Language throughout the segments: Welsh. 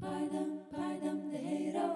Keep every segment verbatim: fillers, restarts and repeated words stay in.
Paid am, paid ymddiheuro.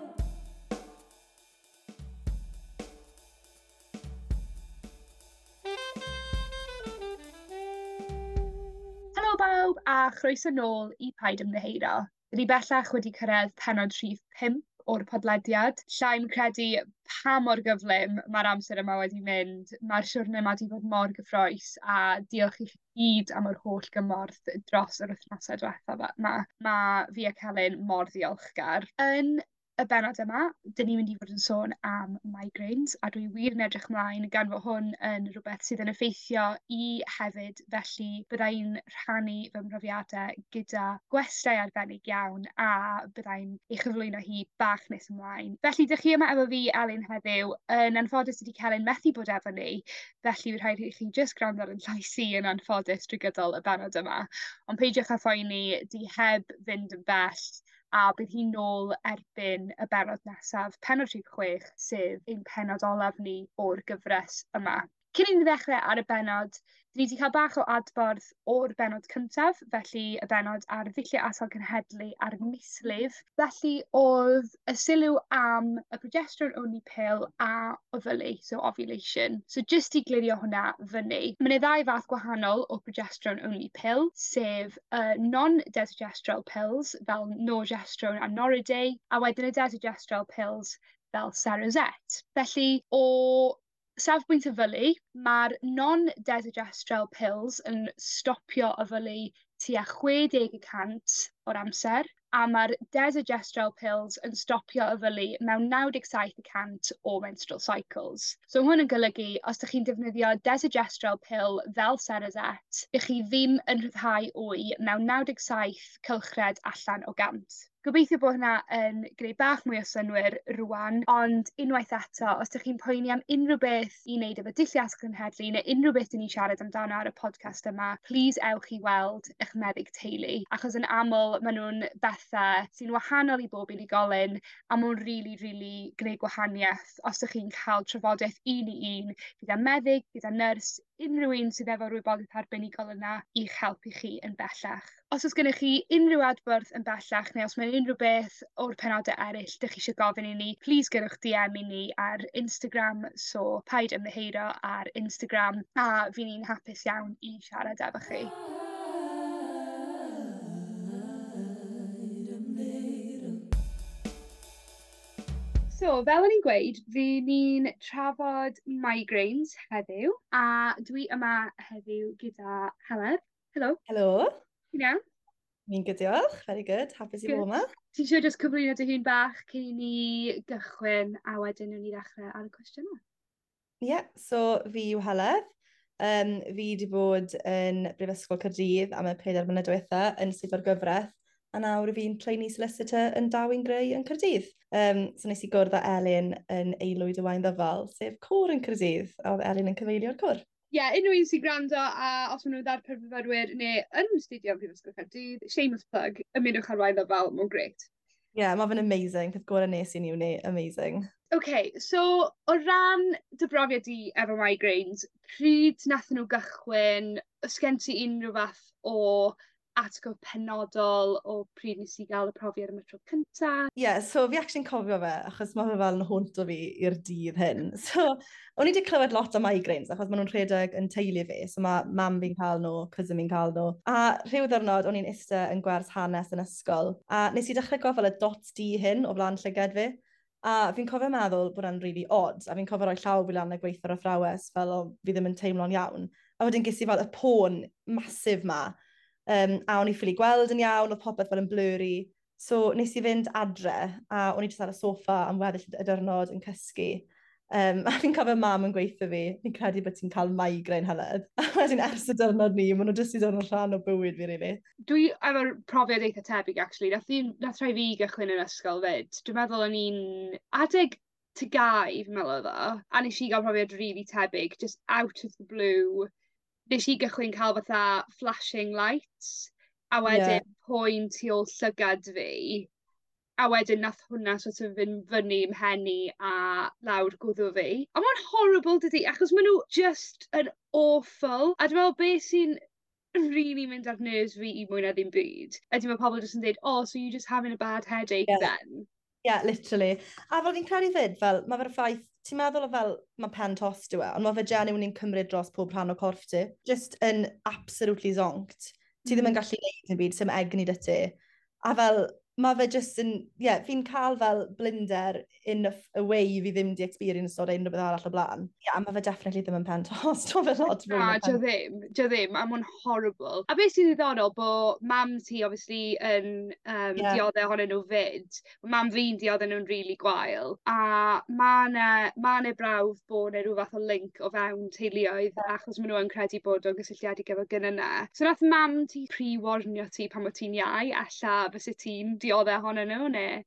Helo bawb a chroeso nôl i Paid Ymddiheuro. 'Dyn ni bellach wedi cyrredd pennod rhif pump o'r podlediad. 'Llai'm credu pa mor gyflym ma'r amser yma wedi mynd. Ma'r siwrne 'ma 'di bod mor gyffrous a diolch i chi gyd am yr holl gymorth dros yr wythnose dwetha 'ma. Ma' fi a Celyn mor ddiolchgar. Yn y bennod yma 'dyn ni mynd i fod yn sôn am migraines a dwi wir yn edrych mlaen gan fo' hwn yn rwbeth sydd yn effeithio i hefyd felly bydda i'n rhannu fy mhrofiade gyda gwestai arbennig iawn a byddai'n ei chyflwyno hi bach nes ymlaen. Felly 'dych chi yma efo fi Elin heddiw yn anffodus dydi Celyn methu bod efo ni felly by' rhaid i chi jyst gwrando ar 'yn llais i yn anffodus drwy gydol y bennod yma. On' peidiwch â phoeni 'di heb fynd yn bell a bydd hi nôl erbyn y bennod nesaf, pennod rhif chwech, sef ein pennod olaf ni o'r gyfres yma. Cyn i ni ddechre ar y bennod, ni 'di ca'l bach o adborth o'r bennod cyntaf, felly y bennod ar ddullie atal cenhedlu a'r mislif. Felly o'dd y sylw am y progesterone only pill a ofylu, so ovulation. So jyst i glirio hwnna fyny, ma' 'ne ddau fath gwahanol o progesterone only pill, sef y non desogestrel pills fel norgestrone a Noriday, a wedyn y desogestrel pills fel Cerazette. Felly o safbwynt ofylu, ma'r non desogestrel pills yn stopio ofylu tua chwe deg y cant o'r amser, a ma'r desogestrel pills yn stopio ofylu mewn naw deg saith y cant o menstrual cycles. So ma' hwn yn golygu os 'dych chi'n defnyddio desogestrel pill fel Cerazette, 'ych chi ddim yn rhyddhau wy mewn naw deg saith cylchred allan o gant. Gobeithio bo' hwnna yn gneu' bach mwy o synnwyr rŵan ond unwaith eto os 'dych chi'n poeni am unryw beth i neud efo dullie atal cenhedlu ne' unryw beth 'dyn ni'n siarad amdano ar y podcast yma plîs ewch i weld 'ych meddyg teulu achos yn aml ma' nw'n bethe sy'n wahanol i bob unigolyn a ma' o'n rili rili gneu' gwahanieth os 'dych chi'n ca'l trafodeth un i un gyda meddyg gyda nyrs unryw un sydd efo'r wybodeth arbenigol yna i'ch helpu chi yn bellach. Os o's gennych chi unryw adborth yn bellach neu os mae unryw beth o'r penode eryll 'dych chi isio gofyn i ni plîs gyrrwch Dee Em i ni ar Instagram so paid ymddiheuro ar Instagram a fy' ni'n hapus iawn i siarad efo chi. Paid ymddiheuro. So fel o'n i'n gweud fy' ni'n trafod migraines heddiw a dwi yma heddiw gyda Heledd. Helo. Helo. Ti'n iawn? Fi'n good diolch, very good, hapus i bod 'ma. Ti isio jyst cyflwyno dy hun bach cyn i ni gychwyn a wedyn newn ni ddechre ar y cwestiyne? Ie, yeah, so fi yw Heledd. Um, fi 'di bod yn Brifysgol Caerdydd am y pedair mlynedd diwetha yn swyddfa'r gyfraith a nawr fi'n trainee solicitor yn Darwin Gray yn Caerdydd. Um, so nes i gwrdd â Elin yn Aelwyd y Waun Ddyfal, sef côr yn Caerdydd, a o'dd Elin yn cyfeilio'r côr. Ie, yeah, unryw un sy'n gwrando a os ma' nw'n ddarpar fyfyrwyr ne' yn astudio ym Mhrifysgol Caerdydd, shameless plug, ymunwch â'r Waun Ddyfal, ma'n grêt. Ie, yeah, ma' fe'n amazing, peth gore nes i yn uni, amazing. Okay, so o ran dy brofiad di efo migraines, pryd nathon n'w gychwyn? O's gen ti unryw fath o atgof penodol o pryd nes i ga'l y profiad am y tro cynta? Ie, yeah, so fi actually'n cofio fe, achos ma' fe fel yn haunto fi i'r dydd hyn. So, o'n i 'di clywed lot am migraines, achos ma' nw'n rhedeg yn teulu fi, so ma' mam fi'n ca'l n'w, cousin fi'n ca'l n'w. A rhyw ddiwrnod o'n i'n iste yn gwers hanes yn ysgol, a nes i dechre gweld fel y dots du hyn o flan llyged fi. A fi'n cofio meddwl bod e'n really odd, a fi'n cofio roi llaw fi lan a gweutho'r athrawes fel o fi ddim yn teimlo'n iawn. A wedyn ges i fel y poen massive 'ma. Um, a o'n i ffili gweld yn iawn, o'dd popeth fel yn blurry. So nes i fynd adre a o'n i jyst ar y soffa am weddill y diwrnod yn cysgu. Um, a fi'n cofio mam yn gweutho fi, fi'n credu bod ti'n cael migraine Heledd. A wedyn ers y diwrnod 'ny, ma' n'w jyst 'di dod yn rhan o bywyd fi rili. Dwi efo'r profiad eitha tebyg actually nath un nath rhai fi gychwyn yn ysgol 'fyd. Dwi'n meddwl o'n i'n adeg Ty Gau fi'n meddwl o'dd o, a nesh i ga'l profiad rili tebyg just out of the blue nes i gychwyn ca'l fatha flashing lights a wedyn yeah. poen tu ôl llygad fi a wedyn nath hwnna sort of fynd fyny i'm mhen i a lawr gwddw fi. A ma'n horrible dydi? Achos ma' n'w just yn awful. A dwi me'wl be' sy'n really mynd ar nerves fi i mwy na ddim byd ydy ma' pobol jyst yn deud, "Oh, so you just having a bad headache yeah. then?" Yeah, literally. A fel fi'n credu fyd, fel, mae fe'r ffaith, ti'n meddwl o fel, mae pen tost yw e, ond mae fe genuinely'n cymryd dros pob rhan o corff ti. Just yn absolutely zonked. Ti ddim yn mm. gallu neud yn byd, sim egni 'da ti. A fel, mae fe just yn, ie, yeah, fi'n cael fel blinder in a, a way fi ddim di experience o unrhyw beth arall o blaen. Ie, yeah, mae fe definitely ddim yn pen tost, mae fe lot fwy na pen. Ddim, dio ddim, a mae'n horrible. A beth sy'n ddiddorol bod mam ti obviously yn um, yeah. dioddef ohonyn nhw fyd. Mam fi'n dioddef nhw'n really gwael. A ma' 'na ma' 'na brawf bod 'na rhyw fath o link o fewn teuluoedd yeah. achos maen nhw yn credu bod o'n gysylltiedig efo gynnau. So nath mam ti pre-warnio ti pan o ti'n iau, ella fysa ti'n diodde ohonyn nhw, neu?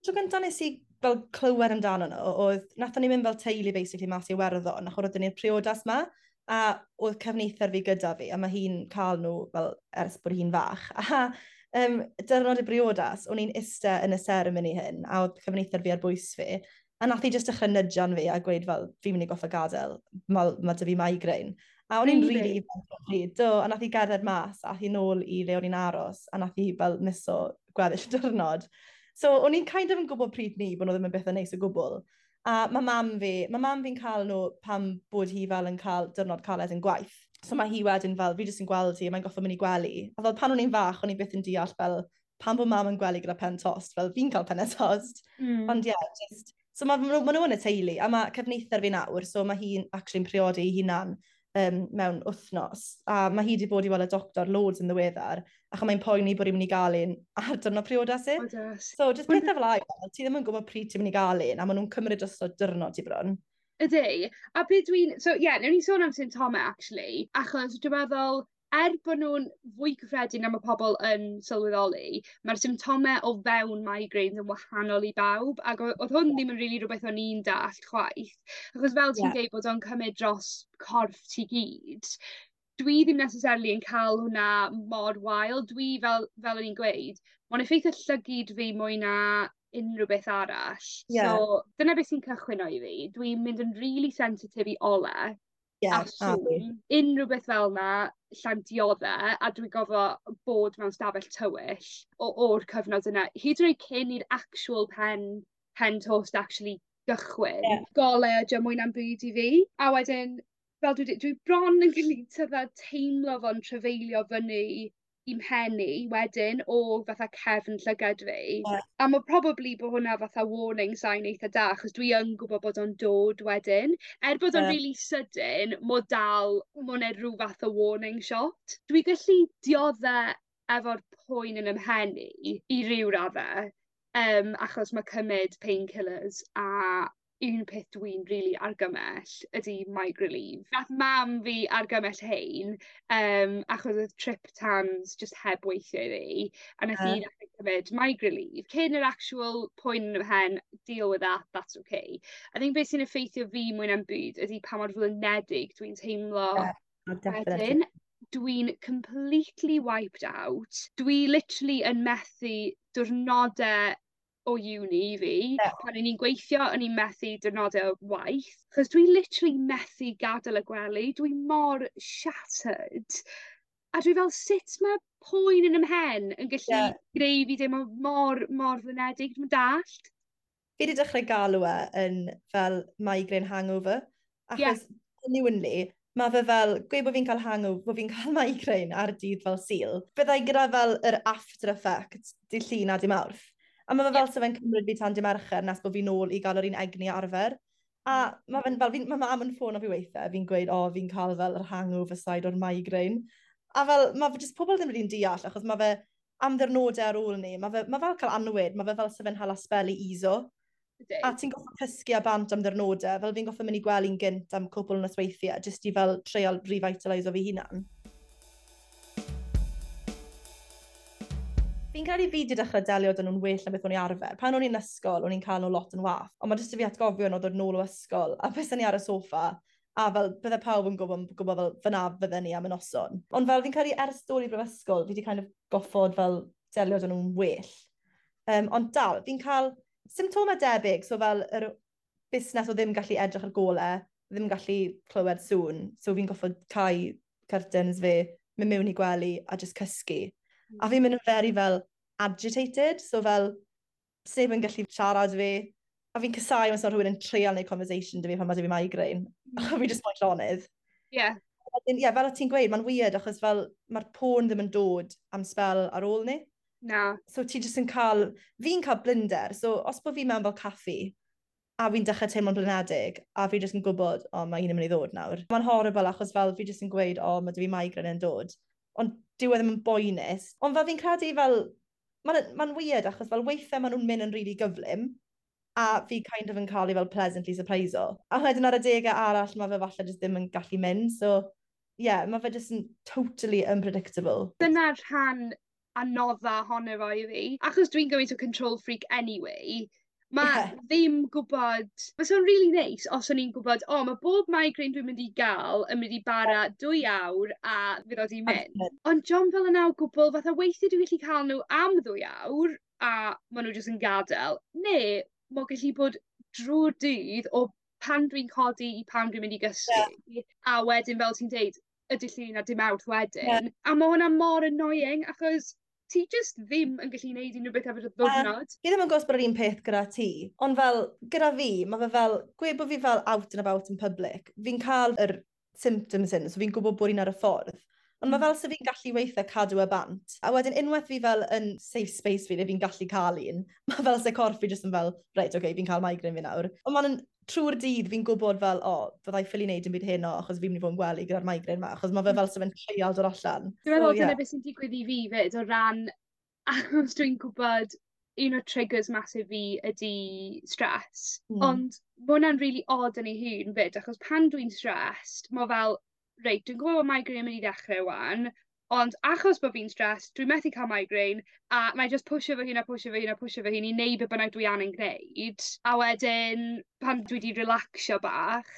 Tro gyntaf nes i fel clywed amdano nhw, oedd, nathon ni mynd fel teulu basically mas i Iwerddon, achos oedden ni'r priodas ma, a oedd cefnither fi gyda fi, a mae hi'n cael nhw fel ers bod hi'n fach. A um, dyrnod y briodas, o'n i'n iste yn y seremoni hyn, a oedd cefnither fi ar bwys fi, a nath hi jyst dechrau nudgean fi a gweud fel, "Fi'n mynd i goffa gadael, mae ma 'da fi migraine." A o'n i'n Really? really ifanc o pryd, do, a nath hi gerdded mas, a hi nôl i le o'n i'n aros, a nath hi fel miso gweddill y diwrnod. So o'n i'n kind of yn gwybod pryd ni bod nhw ddim yn bethau neis o gwbl. A mae mam fi, mae mam fi'n cael nhw pam bod hi fel yn cael diwrnod caled yn gwaith. So mae hi wedyn fel, fi jyst yn gweld hi, mae'n goffo mynd i gwely. A fel pan o'n i'n fach, o'n i byth yn deall fel pam bod mam yn gwely gyda pen tost, fel fi'n cael pen tost. Mm. Ond ie, yeah, just, so mae ma, ma nhw yn y teulu, a mae cefnither fi nawr, so mae hi'n actually'n priodi ei hunan um, mewn wythnos. A mae hi wedi bod i weld y doctor loads yn ddiweddar, ac mae'n poeni bod hi'n mynd i gael un ar diwrnod priodas hi. Priodas. So, just pethau fel 'na, ti ddim yn gwybod pryd ti'n mynd i gael un, a maen nhw'n cymryd dros o diwrnod ti bron. Ydy. A beth dwi'n... So, ie, yeah, newn ni sôn am symptomau, actually, achos dwi'n meddwl, er bod nhw'n fwy cyffredin na mae pobl yn sylweddoli, mae'r symptomau o fewn migraines yn wahanol i bawb, ac o- oedd hwn ddim yn rili rhywbeth o'n i'n dallt chwaith. Achos fel ti'n Ie. deud bod o'n cymryd dros corff ti gyd, dwi ddim necessarily yn cael hwnna mor wael. Dwi fel, fel o'n i'n gweud, mae'n effeithio llygid fi mwy na unrhyw beth arall. Ie. So, dyna beth sy'n cychwyn o i fi. Dwi'n mynd yn really sensitif i ole Ie, a a fi. sŵn, unrhyw beth fel 'na, llai'm diodde, a dwi'n gofo bod mewn stafell tywyll o o'r cyfnod yna, hyd yn oed cyn i'r actual pen pen tost actually gychwyn. Ie. Gole ydi o mwy na'm byd i fi. A wedyn, fel dwi 'di, dwi bron yn gallu tydda teimlo fo'n trafeilio fyny i'm mhen i wedyn o fatha cefn llygad fi. Ie. A ma' probably bo' hwnna fatha warning sign eitha da, achos dwi yn gwbod bod o'n dod wedyn. Er bod o'n Ie. really sydyn, m'o dal, ma' 'ne ryw fath o warning shot. Dwi gallu diodde efo'r poen yn 'y mhen i i ryw radde, um, achos ma' cymyd painkillers, a un peth dwi'n rili argymell ydi Migraleave. Nath mam fi argymell hein, um, achos oedd triptans just heb weithio i fi, a nath hi Ie. ddechrau cymryd Migraleave. Cyn yr actual poen yn 'y mhen, deal with that, that's okay. I think beth sy'n effeithio fi mwy na'm byd ydi pa mor flinedig dwi'n teimlo Ie, oh, definitely. wedyn. Dwi'n completely wiped out. Dwi literally yn methu diwrnodau o uni i fi. Ie. Pan o'n i'n gweithio, o'n i'n methu diwrnodau o waith. Chos dwi literally methu gadael y gwely. Dwi mor shattered. A dwi fel, sut mae poen yn 'y mhen yn gallu Ie. greu fi deimlo mor, mor flinedig? Dwi'm yn dallt. Fi wedi dechrau galw e yn fel migraine hangover. Ie. Achos genuinely, mae fe fel, gweud bod fi'n cael hangover, bod fi'n cael migraine ar dydd fel Sul, byddai gyda fel yr after effect dydd Llun a dydd Mawrth. A mae fe fel se fe'n cymryd fi tan dydd Mercher nes bod fi nôl i gael yr un egni arfer. A mae fe'n fel, fi'n- mae mam yn ffono fi weithiau, fi'n gweud, "O, fi'n cael fel yr hangover side o'r migraine." A fel, mae fe jyst pobl ddim rili'n deall, achos mae fe am ddiwrnodau ar ôl ni, mae fe, mae fel cael anwyd, mae fe fel se fe'n hala spell i iso. Ydy. A ti'n goffo cysgu a bant am ddiwrnodau, fel fi'n goffo mynd i gwely'n gynt am cwpl o nosweithiau, jyst i fel treial revitalise o fi hunan. Fi'n credu fi wedi dechrau delio 'da nhw'n well na beth o'n i arfer. Pan o'n i'n ysgol, o'n i'n cael nhw lot yn wath. Ond mae jyst i fi atgofion o ddod nôl o ysgol, a bys ni ar y soffa, a fel bydde pawb yn gwybod, gwybod fel fyna fydden ni am y noson. Ond fel fi'n credu ers dod i brifysgol, fi wedi kind of goffod fel delio 'da nhw'n well. Um, ond dal, fi'n cael symptomau debyg, so fel yr busnes o ddim gallu edrych ar gole, ddim gallu clywed sŵn, so fi'n goffod cau curtains fi, mynd mewn i gwely a just cysgu. Mm. A fi'n mynd yn very fel agitated, so fel sneb yn gallu siarad fi. A fi'n casáu os rhywun yn treial neud conversation 'da fi pan mae 'da fi migraine. Mm. A fi just moyn llonydd. Yeah. Ie, yeah, fel o ti'n gweud, mae'n weird achos fel mae'r poen ddim yn dod am spell ar ôl ni. Na. So ti jyst yn cael, fi'n cael blinder, so os bod fi mewn fel caffi a fi'n dechrau teimlo'n blinedig a fi jyst yn gwybod, o, oh, mae un yn mynd i ddod nawr. Mae'n horrible achos fel fi jyst yn gweud, o, oh, mae 'da fi migraine yn dod. Ond dyw e ddim yn boenus. Ond fel fi'n credu fel, mae'n ma weird achos fel weithiau maen nhw'n mynd yn really gyflym a fi kind of yn cael ei fel pleasantly surprise-o. A wedyn ar y degau arall mae fe falle jyst ddim yn gallu mynd, so yeah, mae fe jyst yn totally unpredictable. Dyna'r rhan anodda ohono fo i fi. Achos dwi'n gymaint o control freak anyway, mae yeah. ddim gwybod... Fysa fo'n really neis os o'n i'n gwybod, o, oh, mae bob migraine dwi'n mynd i gael yn mynd i bara dwy awr a fydd o 'di mynd. Ond dio'm fel yna o gwbl, fatha weithiau dwi'n gallu cael nhw am ddwy awr a maen nhw jyst yn gadael. Neu mae'n gallu bod drwy'r dydd o pan dwi'n codi i pan dwi'n mynd i gysgu. Yeah. A wedyn, fel ti'n deud, y dydd Llun a dydd Mawrth wedyn. Yeah. A mae hwnna mor annoying, achos ti just ddim yn gallu gwneud unrhyw beth efo dy ddiwrnod. Fi ddim yn gwybod bod yr un peth gyda ti, ond fel, gyda fi, mae fe fel, gweud bod fi fel out and about in public, fi'n cael yr symptoms hyn, so fi'n gwybod bod un ar y ffordd. Ond mae fel se fi'n gallu weithio cadw y bant. A wedyn unwaith fi fel yn safe space fi, le fi'n gallu cael un, mae fel se corff fi jyst yn fel, reit, okay, fi'n cael migraine fi nawr. Ond mae'n trwy'r dydd fi'n gwybod fel, o, oh, fyddai ffili wneud yn byd heno achos fi'n mynd i fod yn gwely gyda'r migraine ma, achos mae fe fel se fe'n treial dod allan. Dwi'n meddwl so, yeah. dyna beth sy'n digwydd i fi fyd o ran, achos dwi'n gwybod un o triggers massive fi ydy stress. Mm. Ond mae hwnna'n really odd yn ei hun fyd, achos pan dwi'n stressed, mae fel, reit, dwi'n gwybod bod migraine yn mynd i ddechrau wan, ond achos bod fi'n stressed, dwi'n methu cael migraine, a mae just pwysio fy hun a pwysio fy hun a pwysio fy hun i neud be bynnag dwi angen gwneud. A wedyn, pan dwi wedi relaxio bach,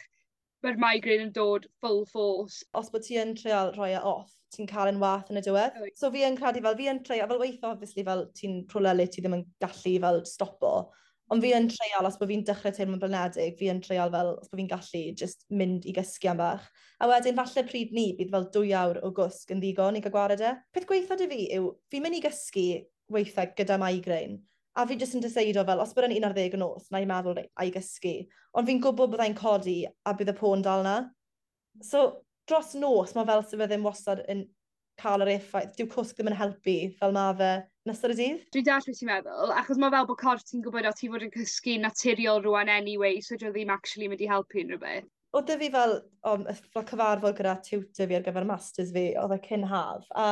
mae'r migraine yn dod full force. Os bod ti yn treial rhoi e off, ti'n cael yn wath yn y diwedd. So fi yn credu fel, fi yn treial, fel weithio obviously fel ti'n rhywle le ti ddim yn gallu fel stopo. Ond fi yn treial, os bod fi'n dechrau teimlo'n blinedig, fi yn treial fel, os bod fi'n gallu just mynd i gysgu am bach. A wedyn, falle pryd ni, bydd fel dwy awr o gwsg yn ddigon i gael gwared e. Peth gweitha 'da fi yw, fi'n mynd i gysgu weithiau gyda migraine. A fi jyst yn deceido fel, os bod yn un ar ddeg y nos, na i meddwl, reit, a i gysgu. Ond fi'n gwybod byddai'n codi a bydd y poen dal na. So, dros nos, mae fel sydd fe ddim wastad yn cael yr effaith. Dyw cwsg ddim yn helpu fel ma fe yn ystod y dydd. Dwi'n deall beth ti'n meddwl, achos mae fel bod corff ti'n gwybod o ti fod yn cysgu naturiol rwan anyway, so dio ddim actually mynd i helpu unrhyw beth. Oedd 'da fi fel, um, fel cyfarfod gyda tutor fi ar gyfer masters fi, oedd e cyn haf, a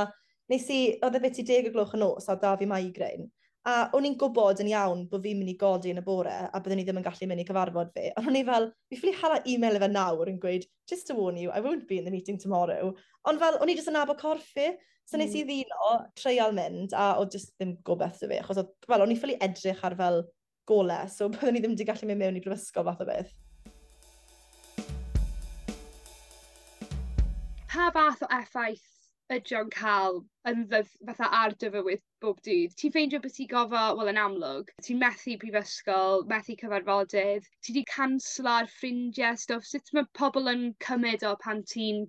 nes i, oedd e beth i deg o gloch y nos a 'da fi migraine. A o'n i'n gwybod yn iawn bod fi'n mynd i godi yn y bore a byddwn i ddim yn gallu mynd i cyfarfod fi. Ond o'n i fel, fi ffili hala e-mail i fe nawr yn gweud, just to warn you, I won't be in the meeting tomorrow. Ond fel, o'n i jyst yn nabod corff fi. So nes i mm. ddihuno, treial mynd, a oedd jyst ddim gobeith 'da fi. Achos oedd, fel, o'n i ffili edrych ar fel gole, so byddwn i ddim wedi gallu mynd mewn i brifysgol fath o beth. Pa fath o effaith ydy o'n cael yn ddydd, fatha ar dy fywyd bob dydd? Ti'n ffeindio bod ti'n gofo, wel yn amlwg, ti'n methu prifysgol, methu cyfarfodydd, ti 'di canslo'r ffrindiau, stwff. Sut mae pobl yn cymryd o pan ti'n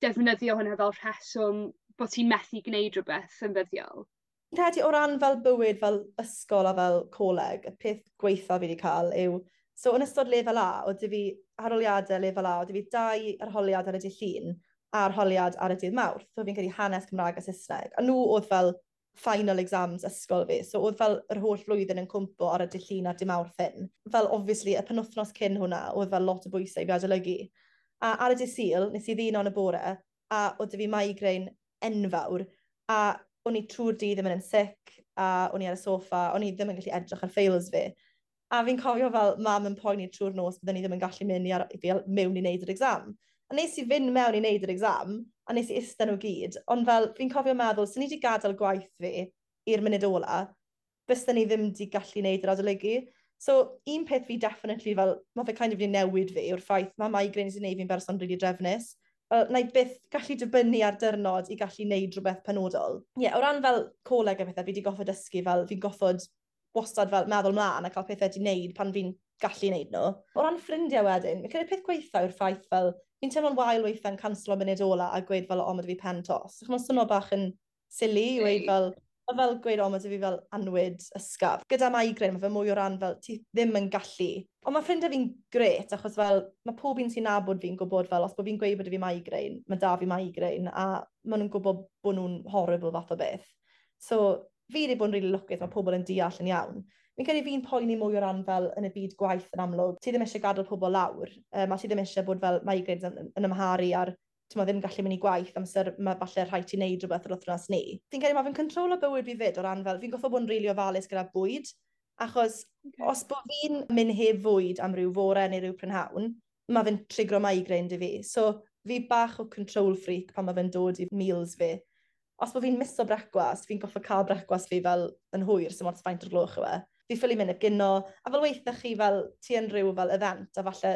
defnyddio hwnna fel rheswm bod ti'n methu gwneud rhywbeth yn ddyddiol? Fi'n credu o ran fel bywyd fel ysgol a fel coleg, y peth gweitha fi wedi cael yw, so yn ystod lefel A, oedd 'da fi arholiadau lefel A, oedd 'da fi dau arholiad ar y dydd Llun a arholiad ar y dydd Mawrth. So fi'n credu hanes, Cymraeg a Saesneg. A nhw oedd fel final exams ysgol fi. So oedd fel yr holl flwyddyn yn cwmpo ar y dydd Llun a'r dydd Mawrth hyn. Fel obviously y penwythnos cyn hwnna oedd fel lot o bwysau i fi adolygu. A ar y dydd Sul, nes i ddihuno yn y bore a oedd 'da fi migraine enfawr. A o'n i trwy'r dydd yn mynd yn sick a o'n i ar y soffa, o'n i ddim yn gallu edrych ar files fi. A fi'n cofio fel mam yn poeni trwy'r nos byddwn i ddim yn gallu mynd i ar, i mewn i wneud yr exam. A nes i fynd mewn i wneud yr exam, a nes i ista nhw gyd, ond fel fi'n cofio meddwl, sy'n ni wedi gadael gwaith fi i'r munud ola, bysen ni ddim wedi gallu wneud yr adolygu. So, un peth fi definitely fel, mae fe kind of wedi newid fi yw'r ffaith mae migraines yn gwneud fi'n berson really drefnus. Fel, na i byth gallu dibynnu ar dyrnod i gallu wneud rhywbeth penodol. Ie, yeah, o ran fel coleg a pethau, fi wedi goffod dysgu fel, fi'n goffod wastad fel meddwl mlaen a cael pethau wedi wneud pan fi'n gallu wneud nhw. O ran ffrindiau wedyn, fi'n credu peth gweitha yw'r ffaith fel Fi'n teimlo'n wael weithiau'n canslo munud ola a gweud fel, "O, mae 'da fi pen tost." Achos mae'n swno bach yn silly i weud fel, ma' fel gweud, "O, mae 'da fi fel annwyd ysgaf." Gyda migraine, mae fe mwy o ran fel ti ddim yn gallu. Ond mae ffrindiau fi'n grêt, achos fel mae pob un sy'n nabod fi'n gwybod fel os bod fi'n gweud bod 'da fi migraine, mae 'da fi migraine, a maen nhw'n gwybod bod nhw'n horrible fath o beth. So fi wedi bod yn rili lwcus, mae pobl yn deall yn iawn. Fi'n credu fi'n poeni mwy o ran fel yn y byd gwaith yn amlwg. Ti ddim eisiau gadael pobl lawr, um, a ti ddim eisiau bod fel migraines yn, yn amharu ar, ti'n ddim gallu mynd i gwaith amser mae falle rhaid ti wneud rhywbeth yr wythnos ni. Fi'n credu mae fe'n control o bywyd fi fyd o ran fel, fi'n goffo bod yn rili ofalus gyda bwyd, achos okay. os bod fi'n mynd heb fwyd am ryw fore neu ryw prynhawn, mae fe'n trigro migraine 'da fi. So fi bach o control freak pan mae fe'n dod i meals fi. Os bod fi'n miso brecwast, fi'n goffo cael brecwast fi fel yn hwyr, sy'n ots faint o'r gloch yw e. Fi ffili mynd heb gino, a fel weithiau chi fel ti yn rhyw fel event, a falle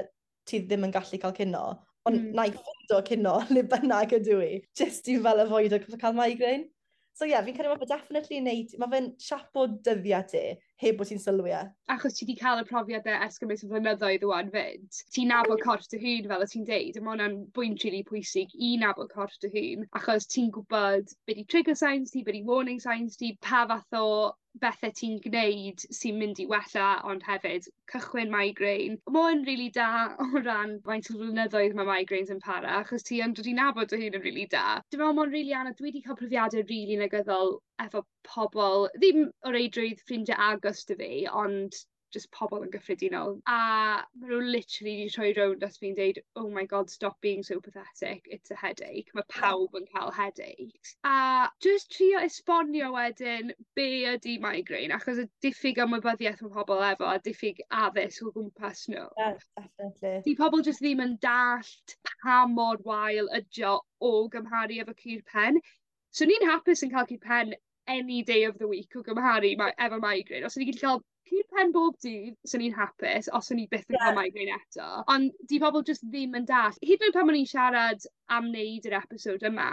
ti ddim yn gallu cael cino, ond mm. na i ffindo cino le bynnag ydw i, just i fel avoid cael migraine. So ie, yeah, fi'n credu mae fe definitely neud, mae fe'n siapo dyddiau ti, heb bod ti'n sylwi e. Achos ti wedi cael y profiadau ers gymaint o flynyddoedd ŵan fyd. Ti'n nabod corff dy hun fel o ti'n deud, a ma' hwnna'n bwynt rili pwysig i nabod corff dy hun, achos ti'n gwybod be' 'di trigger signs ti, be' 'di warning signs ti, pa fath o bethe ti'n gneud sy'n mynd i wella ond hefyd cychwyn migraine. Ma' o'n rili da o ran faint o flynyddoedd ma' migraines yn para achos ti yn dod i nabod dy hun yn rili da. Dwi me'wl ma' o'n rili anodd, dwi 'di ca'l profiade rili negyddol efo pobol, ddim o reidrwydd ffrindie agos 'dy fi, ond just pobol yn gyffredinol. A ma' n'w literally 'di troi rownd at fi'n deud, "Oh my God, stop being so pathetic, it's a headache." Mae pawb yn ca'l headaches. A just trio esbonio wedyn be' ydi migraine, achos y diffyg ymwybyddiaeth ma' pobol efo a diffyg addysg o gwmpas n'w. Yeah, definitely. 'Di pobol jyst ddim yn dallt pa mor wael ydi o o gymharu efo cur pen. So ni'n hapus yn ca'l cur pen any day of the week o gymharu ma- efo migraine. Os o'n i gallu ca'l cur pen bob dydd, swn i'n hapus os o'n i byth yn yeah. ca'l migraine eto. Ond 'di pobol jyst ddim yn dallt. Hyd yn oed pan o'n i'n siarad am wneud yr episode yma,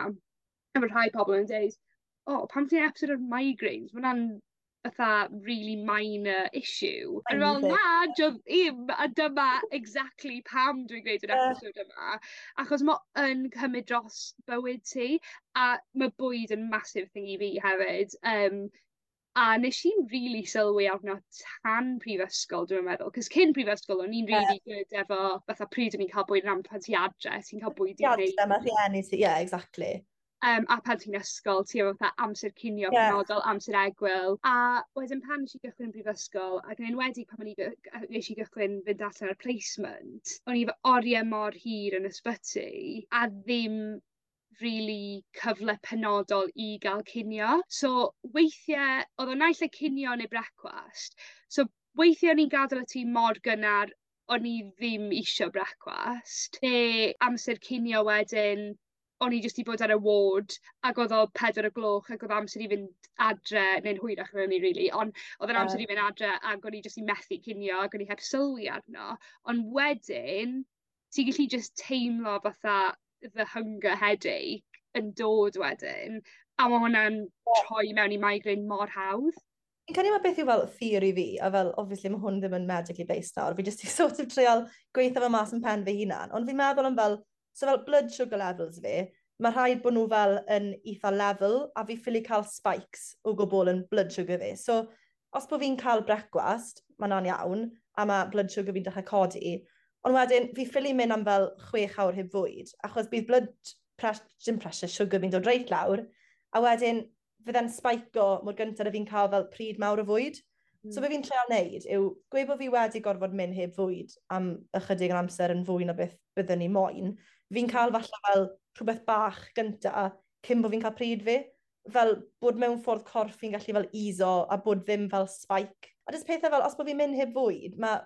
efo rhai pobol yn deud, "O, pam ti'n episode ar migraines? Ma' wnna'n fatha really minor issue." A fel, na, 'di o ddim, a dyma exactly pam dwi'n gwneud yr episode yma. Achos ma' yn cymryd dros bywyd ti, a ma' bwyd yn massive thing i fi hefyd. Um, a nes i'm rili sylwi arno tan prifysgol, dwi'n meddwl. 'Cos cyn prifysgol, o'n i'n really yeah. good efo, fatha pryd o'n i'n cael bwyd yn pan ti adre, ti'n cael bwyd i wneud. Adre, mae rhieni ti, yeah, exactly. Um, a pan ti'n ysgol, ti efo fatha amser cinio yeah. penodol, amser egwyl. A wedyn pan nes i gychwyn yn brifysgol, ac yn enwedig pan o'n i nes i gychwyn fynd allan ar placement, o'n i efo oriau mor hir yn ysbyty, a ddim really cyfle penodol i gael cinio. So weithiau, oedd o naill ai cinio neu brecwast. So weithiau o'n i'n gadael y tŷ mor gynnar, o'n i ddim isio brecwast. Neu amser cinio wedyn, o'n i jyst 'di bod ar y ward ac oedd o pedwar y gloch ac oedd amser i fynd adre, neu'n hwyrach na hynny really, ond oedd yn amser i fynd adre ac o'n i jyst i methu cinio ac o'n i heb sylwi arno. Ond wedyn, ti'n gallu just teimlo fatha the hunger headache yn dod wedyn, a ma' hwnna'n troi mewn i migraine mor hawdd. Fi'n credu mae beth yw fel theory fi, a fel, obviously mae hwn ddim yn medically based nawr, fi jyst i sort of treial gweithio fe mas yn pen fy hunan, ond fi'n meddwl am fel, so fel blood sugar levels fi, mae rhaid bod nhw fel yn eitha level, a fi ffili cael spikes o gwbl yn blood sugar fi. So, os bod fi'n cael brecwast, mae hwnna'n iawn, a mae blood sugar fi'n dechrau codi, ond wedyn fi ffili mynd am fel chwech awr heb fwyd, achos bydd blood pressure, dim pressure, sugar fi'n dod reit lawr, a wedyn fydde'n spike-o mor gyntaf a fi'n cael fel pryd mawr o fwyd. Mm. So be fi'n treial wneud yw gweud bod fi wedi gorfod mynd heb fwyd am ychydig yn amser yn fwy na beth byddwn ni moyn. Fi'n cael falle fel rhywbeth bach gynta cyn bod fi'n cael pryd fi. Fel bod mewn ffordd corff fi'n gallu fel easo a bod ddim fel spike. A jyst pethau fel, os bod fi'n mynd heb fwyd, mae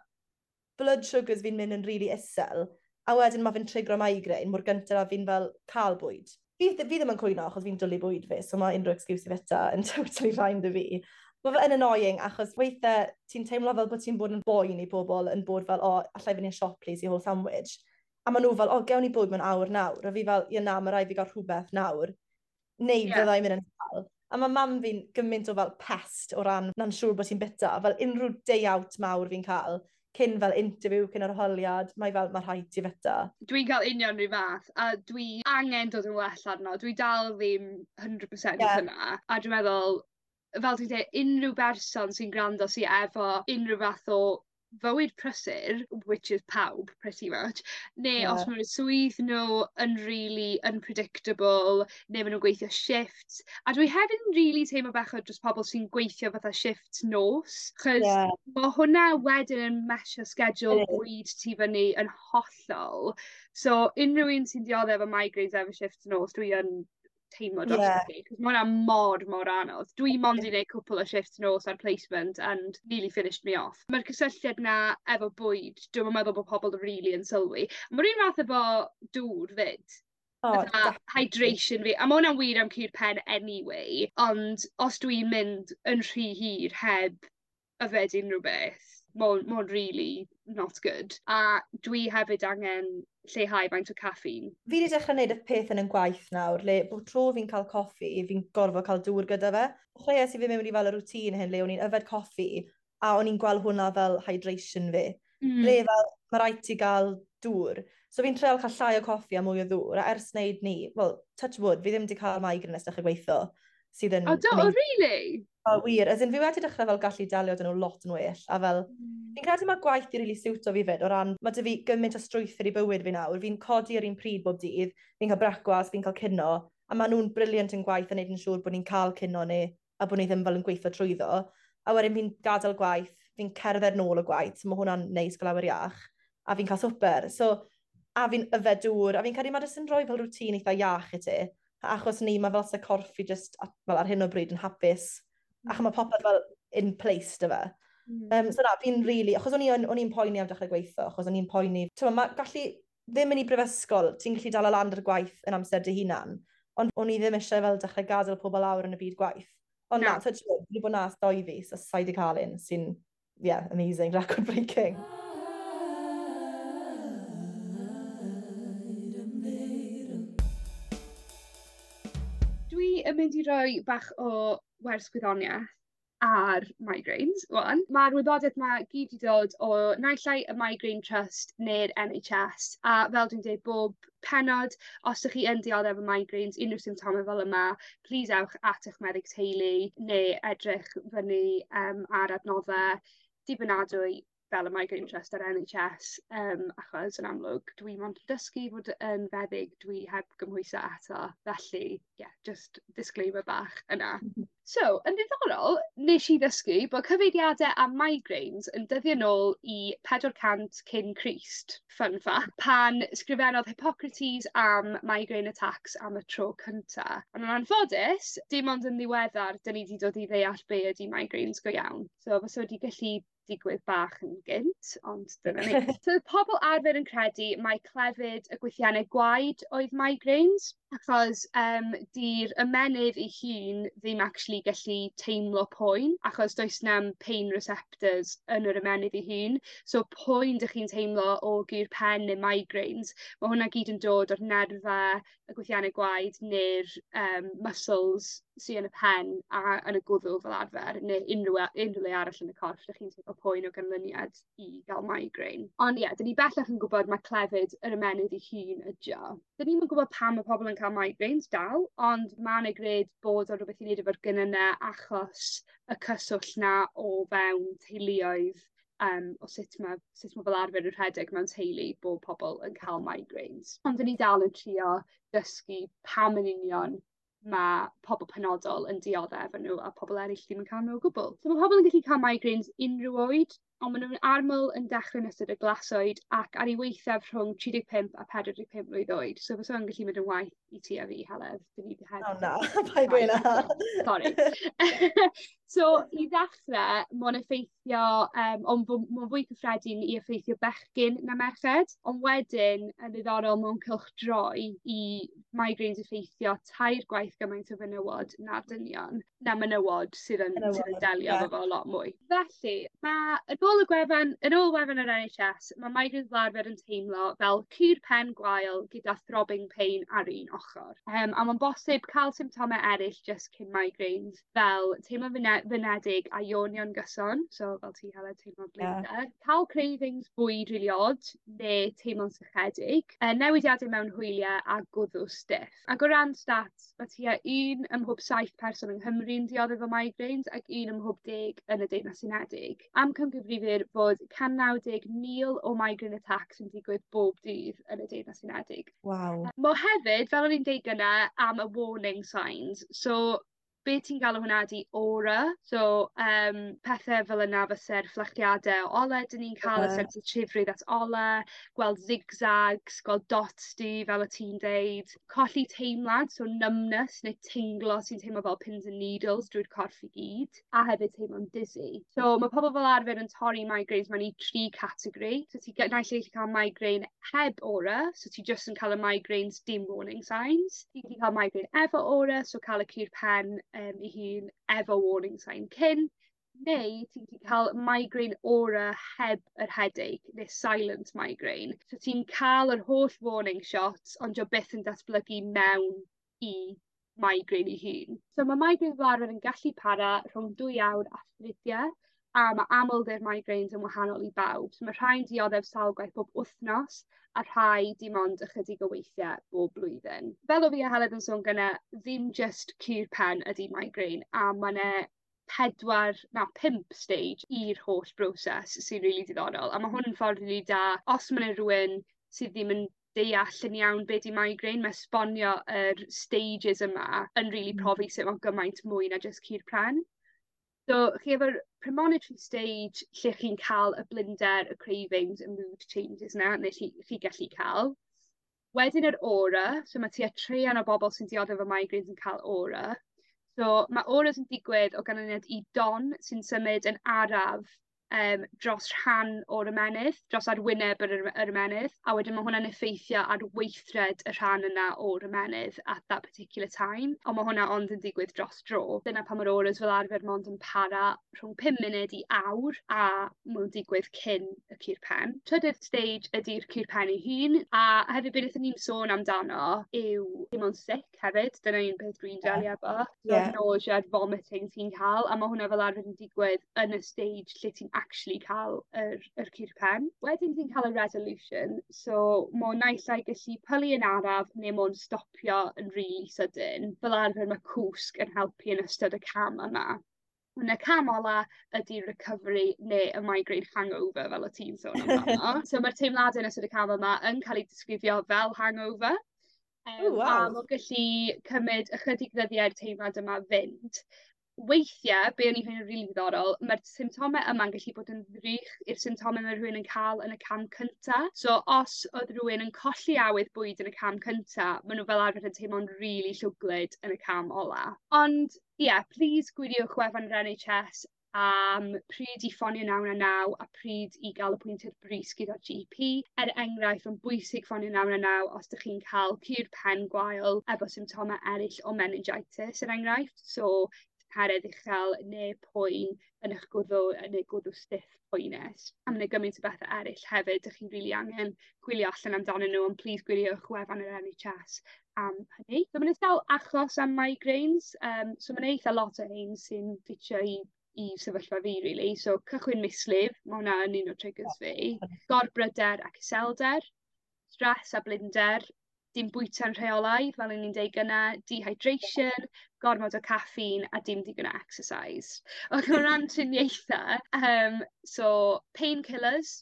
blood sugars fi'n mynd yn really isel, a wedyn mae fi'n trigro migraine mor gyntaf a fi'n fel cael bwyd. Fi, fi ddim yn cwyno achos fi'n dwlu bwyd fi, so mae unrhyw excuse i fita yn totally fine 'da fi. Mae fe yn annoying achos weithiau ti'n teimlo fel bod ti'n bod yn boen i bobl yn bod fel, "O, allai fynd i'r siop please i hôl sandwich?" A maen nhw fel, "O, gewn ni bwyd mewn awr nawr." A fi fel, "Ie na, mae rhaid fi gael rhywbeth nawr. Neu yeah. fydda i'n mynd yn sâl." A mae mam fi'n gymaint o fel pest o ran na'n siŵr bod ti'n bita. Fel unrhyw day out mawr fi'n cael, cyn fel interview, cyn arholiad, mae fel, mae rhaid ti fyta. Dwi'n cael union rhyw fath, a dwi angen dod yn well arno. Dwi dal ddim hundred percent yeah. yna. A dwi'n meddwl, fel dwi'n dweud, unrhyw berson sy'n gwrando sy efo unrhyw fath o fywyd prysur, which is pawb, pretty much, neu yeah. os maen nhw'n swydd nhw yn really unpredictable, neu maen nhw'n gweithio shifts. A dwi hefyd yn really teimlo bechod dros pobl sy'n gweithio fatha shifts nos, chos yeah. mae hwnna wedyn yn mesio schedule bwyd ti fyny yn hollol. So, unrhyw un sy'n dioddef efo migraines efo shifts nos, dwi yn teimlo dros yeah. chi. Cos mae hwnna mor, mor anodd. Dwi mond i wneud cwpl o shifts nos ar placement and nearly finished me off. Mae'r cysylltiad na efo bwyd, dwi'n meddwl bod pobl really yn sylwi. Mae'r un fath efo dŵr fyd. Oh, hydration fi. A mae hwnna'n wir am cur pen anyway, ond os dwi'n mynd yn rhy hir heb yfed unrhyw beth, mae'n ma really not good. A dwi hefyd angen lleihau faint o caffeine. Fi wedi dechrau gwneud y peth yn yn gwaith nawr, le bod tro fi'n cael coffi, fi'n gorfod cael dŵr gyda fe. Dechreuais i fi mewn i fel y routine hyn, le o'n i'n yfed coffi, a o'n i'n gweld hwnna fel hydration fi. Mm. Le fel, mae rhaid ti gael dŵr. So fi'n treial cael llai o coffi a mwy o ddŵr, a ers wneud ni, well, touch wood, fi ddim wedi cael migraine ers dechrau gweithio. Sydd yn Oh, do, oh, really? O, wir. As in, fi wedi dechrau fel gallu delio 'da nhw lot yn well. A fel, mm. fi'n credu mae gwaith i really siwto fi fyd, o ran, mae 'da fi gymaint o strwythur i bywyd fi nawr. Fi'n codi ar un pryd bob dydd, fi'n cael brecwast, fi'n cael cino, a maen nhw'n brilliant yn gwaith yn neud yn siŵr bod ni'n cael cino ni, a bod ni ddim fel yn gweithio trwyddo. A wedyn fi'n gadael gwaith, fi'n cerdded nôl o gwaith, so mae hwnna'n neis gael awyr iach, a fi'n cael swper. So, a fi'n yfed dŵr, a fi'n credu mae jyst yn rhoi fel routine eitha iach i ti. A achos ni, mae fel se corff fi just, fel ar hyn o bryd yn hapus. Mm. Ac mae popeth fel in place 'da fe. Mm. Um, so na, fi'n really, achos o'n i'n poeni am dechrau gweithio, achos o'n i'n poeni, ti'n mae gallu ddim yn i brifysgol, ti'n gallu dal y lan ar gwaith yn amser dy hunan, ond o'n i ddim eisiau fel dechrau gadael pobl lawr yn y byd gwaith. Ond na, touch wood, fi wedi bod na ers doi fis, a sa'i wedi cael un, sy'n, yeah, amazing, record breaking. Paid ymddiheuro. Dwi yn mynd i roi bach o wers gwyddoniaeth ar migraines ŵan. Ma'r wybodaeth 'ma gyd 'di dod o naill ai y Migraine Trust neu'r N H S a fel dwi'n deud bob pennod, os 'dych chi yn dioddef efo migraines, unryw symptome fel yma, plîs ewch at 'ych meddyg teulu neu edrych fyny yym ar adnodde dibynadwy fel y Migraine Trust a'r N H S yym achos yn amlwg dwi mond yn dysgu fod yn feddyg, dwi heb gymhwyso eto, felly ie, just disclaimer bach yna. So, yn ddiddorol, nes i ddysgu bod cyfeiriade a migraines yn dyddio nôl i pedwar cant cyn Crist, fun fact, pan sgrifennodd Hippocrates am migraine attacks am y tro cynta. Ond yn anffodus, dim ond yn ddiweddar 'dyn ni 'di dod i ddeall be' ydi migraines go iawn. So fysa wedi gallu digwydd bach yn gynt, ond dyna ni. So o'dd pobl arfer yn credu mai clefyd y gwythienne gwaed oedd migraines, achos yym 'di'r ymennydd ei hun ddim actually gallu teimlo poen, achos does na'm pain receptors yn yr ymennydd ei hun. So poen 'dych chi'n teimlo o gur pen neu migraines, ma' hwnna gyd yn dod o'r nerfe, y gwythienne gwaed ne'r yym muscles sy yn y pen a yn y gwddw fel arfer, neu unryw we- unryw le arall yn y corff 'dych chi'n teimlo poen o ganlyniad i ga'l migraine. Ond ie, 'dyn ni bellach yn gwbod ma' clefyd yr ymennydd ei hun ydi o. 'Dyn ni'm yn gwbod pam ma' pobol yn ca'l migraines dal, ond ma' 'na gred bod o rwbeth i neud efo'r genyne achos y cyswllt 'na o fewn teuluoedd yym o sut ma' sut ma' fel arfer yn rhedeg mewn teulu bo' pobol yn ca'l migraines. Ond 'dyn ni dal yn trio dysgu pam yn union ma' pobol penodol yn diodde efo n'w a pobol eryll ddim yn ca'l n'w o gwbwl. So ma' pobol yn gallu ca'l migraines unryw oed, on' ma' nw'n arml yn dechre yn ystod y glasoed ac ar 'u weithaf rhwng tri deg pump a pedwar deg pump mlwydd oed. So fysa o'n gallu mynd yn waeth i ti a fi, Heledd. 'Dyn ni heb O na, paid gweud 'na. Sori. So i ddechre, ma' o'n effeithio yym on' fw- ma'n fwy cyffredin i effeithio bechgyn na merched, on' wedyn yn ddiddorol mewn cylchdroi i migraines effeithio tair gwaith gymaint o fenywod na'r dynion, na menywod sydd yn sydd yn delio efo fo lot mwy. Felly ma' yn ôl y gwefan, yn ôl wefan yr En Haitch Es, ma' migraines fel arfer yn teimlo fel cur pen gwael gyda throbbing pain ar un ochor. Yym a ma'n bosib ca'l symptome eryll jyst cyn migraines fel teimlo'n fine- flinedig a yawnio'n gyson, so fel ti Heledd teimlo'n blinder. Ca'l cravings bwyd rili od ne' teimlo'n sychedig. Yy newidiade mewn hwylie a gwddw stiff. Ag o ran stats ma' tua un ym mhob saith person yng Nghymru'n diodde efo migraines ac un ym mhob deg yn y Deyrnas Unedig. Amcangyfrifir bod can naw deg mil o migraine attacks yn digwydd bob dydd yn y Deyrnas Unedig. Waw. Mo hefyd, fel o'n i'n deud gynne am y warning signs, so be' ti'n galw hwnna 'di aura. So yym pethe fel yna fyse'r fflachiade o ole 'dyn ni'n ca'l y sensitifrwydd at ole, gweld zigzags, gweld dots du fel o' ti'n deud, colli teimlad, so numbness neu tinglo sy'n teimlo fel pins and needles drwy'r corff i gyd, a hefyd teimlo'n dizzy. So ma' pobol fel arfer yn torri migraines mewn i tri categori. So ti ge- naill ai gallu ca'l migraine heb aura, so ti jyst yn ca'l y migraines dim warning signs. Ti gallu ca'l migraine efo aura, so ca'l y cur pen yym 'i hun efo warning sign cyn, neu ti'n gallu ca'l migraine aura heb yr headache ne' silent migraine. So ti'n ca'l yr holl warning shots ond 'di o byth yn datblygu mewn i migraine 'i hun. So ma' migraines fel arfer yn gallu para rhwng dwy awr a thridie a ma' amlder migraines yn wahanol i bawb. So ma' rhai'n dioddef sawl gwaith bob wthnos a rhai dim ond ychydig o weithie bob blwyddyn. Fel o' fi a Heledd yn sôn gynne ddim jyst cur pen ydi migraine a ma' 'ne pedwar na pump stage i'r holl broses sy rili diddorol a ma' hwn yn ffordd rili da os ma' 'na rywun sydd ddim yn deall yn iawn be' 'di migraine ma' esbonio yr stages yma yn rili profi sut ma' gymaint mwy na jyst cur pren. So chi efo'r premonitory stage lle chi'n ca'l y blinder, y cravings, y mood changes 'na ne' chi chi gallu ca'l. Wedyn yr aura, so ma' tua treian o bobol sy'n diodde efo migraines yn ca'l aura. So ma' auras yn digwydd o ganlyniad i don sy'n symud yn araf yym dros rhan o'r ymennydd, dros arwyneb yr yr yr ymennydd, a wedyn ma' hwnna'n effeithio ar weithred y rhan yna o'r ymennydd at that particular time. On' ma' hwnna ond yn digwydd dros dro. Dyna pam ma'r auras fel arfer mond yn para rhwng pum munud i awr a ma' nw'n digwydd cyn y cur pen. Trydydd stage ydi'r cur pen ei hun a hefyd be' nethon ni'm sôn amdano yw teimlo'n sick hefyd. Dyna un peth dwi'n delio efo. Ie. So'r nausea a'r vomiting ti'n ca'l a ma' hwnna fel arfer yn digwydd yn y stage lle ti'n actually ca'l yr yr cur pen. Wedyn ti'n ca'l y resolution so m'o naill ai gallu pylu yn araf ne' m'o'n stopio yn rili sydyn. Fel arfer ma' cwsg yn helpu yn ystod y cam yma. On' y cam ola ydi recovery ne' y migraine hangover fel o' ti'n sôn amdano. So ma'r teimlade yn ystod y cam yma yn ca'l 'u disgrifio fel hangover. O Yym a waw. m'o gallu cymyd ychydig ddyddie i'r teimlad yma fynd. Weithie be' o'n i ffeindio rili ddiddorol ma'r symptome yma'n gallu bod yn ddrych i'r symptome ma' rhywun yn ca'l yn y cam cynta. So os o'dd rywun yn colli awydd bwyd yn y cam cynta ma' n'w fel arfer yn teimlo'n rili llwglyd yn y cam ola. Ond ie plîs gwyliwch wefan yr En Haitch Es am pryd i ffonio naw naw naw a pryd i ga'l apwyntiad brys gyda Gee Pee. Er enghraifft ma'n bwysig ffonio naw naw naw os 'dych chi'n ca'l cur pen gwael efo symptome eryll o meningitis er enghraifft. So tymheredd uchel ne' poen yn 'ych gwddw yy neu gwddw stiff poenus. A ma' 'na gymaint o bethe eryll hefyd 'dych chi'n rili angen chwilio allan amdanyn n'w on' plîs gwiriwch wefan yr En Haitch Es am hynny. So ma' 'na sawl achos am migraines yym so ma' 'na eitha lot o rhein sy'n ffitio i i sefyllfa fi rili. So cychwyn mislif, ma' hwnna yn un o triggers fi. Gorbryder ac iselder, stress a blinder, dim bwyta'n rheolaidd fel o'n i'n deud gynne, dehydration, gormod o caffeine a dim digon o exercise. Ac o ran triniaethe yym so painkillers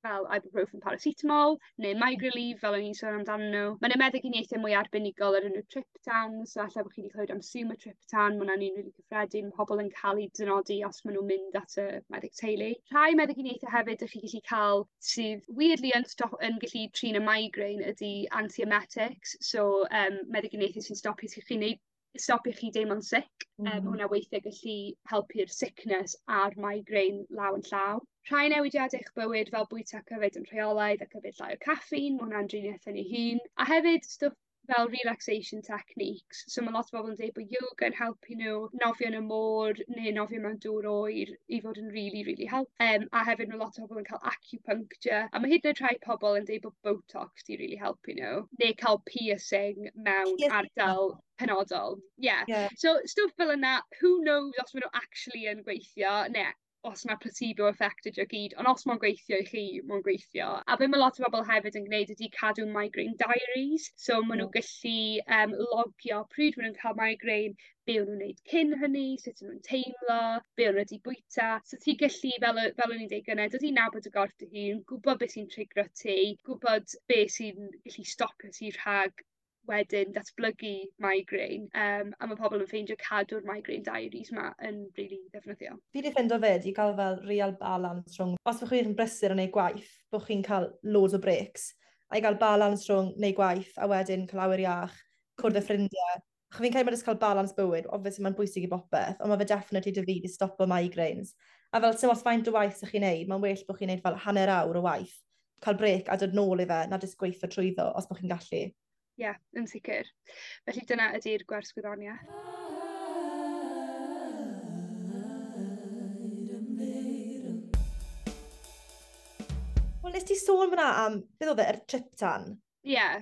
fel ibuprofen paracetamol ne' Migraleave fel o'n i'n sôn amdanyn n'w. Ma' 'na meddyginiaethe mwy arbenigol o'r enw triptans so elle bo' chi 'di clywed am sumatriptan ma' wnna'n un rili cyffredin pobol yn ca'l 'u dynodi os ma' nw'n mynd at y meddyg teulu. Rhai meddyginiaethe hefyd 'dych chi gallu ca'l sydd weirdly yn sto- yn gallu trin y migraine ydi anti-emetics so yym meddyginiaethe sy'n stopio ti chi neu' stopio chi deimlo'n sick. Mm. Yy ma' hwnna weithie gallu helpu'r sickness a'r migraine law yn llaw. Rhai newidiade i'ch bywyd fel bwyta ac yfed yn rheolaidd ac yfed llai o caffeine ma' hwnna'n driniaeth yn ei hun. A hefyd stwff Fel relaxation techniques. So ma' lot o bobol yn deud bo' yoga yn helpu n'w, nofio yn y môr neu nofio mewn dŵr oer i fod yn rili rili help-. Yym a hefyd ma' lot o bobol yn ca'l acupuncture a ma' hyd yn oed rhai pobol yn deud bo' Botox 'di rili helpu n'w. Neu ca'l piercing mewn ardal penodol. Ie. Ie. So stwff fel yna who knows os ma' n'w actually yn gweithio ne' os ma' placebo effect ydi o gyd on' os ma' o'n gweithio i chi ma'n gweithio. A be' ma' lot o bobol hefyd yn gneud ydi cadw migraine diaries. So ma' n'w gyllu yym logio pryd ma' nw'n ca'l migraine be' o'n nw'n neud cyn hynny, sut o' nw'n teimlo, be' o' n'w wedi bwyta. So ti gyllu fel yy fel o'n i'n deud gynne dod i nabod dy gorff dy hun, gwbod be' sy'n triggero ti, gwbod be' sy'n gallu stopio ti rhag wedyn datblygu migraine yym a ma' pobol yn ffeindio cadw'r migraine diaries 'ma yn rili ddefnyddiol. Fi 'di ffindo 'fyd i ga'l fel real balance rhwng os bo' chi'n brysur yn neud gwaith bo' chi'n ca'l loads o breaks a i ga'l balance rhwng neud gwaith a wedyn ca'l awyr iach, cwrdd â ffrindie. Acho fi'n credu ma' jyst ca'l balance bywyd, obviously ma'n bwysig i bopeth, on' ma' fe definitely 'da fi 'di stopo migraines. A fel sim ots faint o waith 'ych chi'n neud, ma'n well bo' chi'n neud fel hanner awr o waith, ca'l brêc a dod nôl i fe na jyst gweitho trwyddo os bo' chi'n gallu. Ie, yn sicir. Felly dyna ydi'r gwers gwyddonieth. Wel, nes ti sôn fyna am, beth oedd e, yr triptan? Ie. Yeah.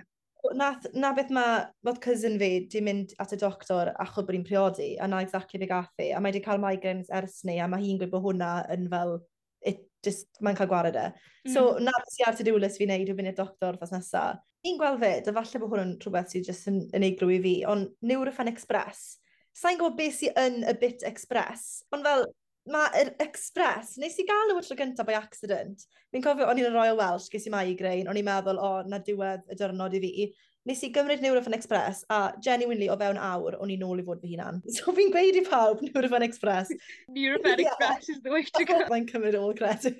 Nath, na beth mae, bod cousin fi di mynd at y doctor achos bod hi'n priodi, a na exactly be gath hi, a mae di cael migraines ers 'ny, a mae hi'n gweud bod hwnna yn fel, it just, mae'n cael gwared e. Mm. So, na beth sy ar to-do list fi wneud yw fynd i'r doctor wythnos nesa. Fi'n gweld fyd, a falle bod hwn yn rhywbeth sydd jyst yn unigryw i fi, ond Nurofen Express. Sa i'n gwybod beth sydd yn y bit express, ond fel, mae'r Express, nes i gael nhw y tro gyntaf by accident. Fi'n cofio o'n i'n y Royal Welsh, ges i migraine, o'n i'n meddwl, o, na diwedd y diwrnod i fi. Nes i gymryd Nurofen Express, a genuinely o fewn awr, o'n i nôl i fod fy hunan. So fi'n gweud i pawb, Nurofen Express. Nurofen yeah. Express is the way to go. Mae'n cymryd all credit.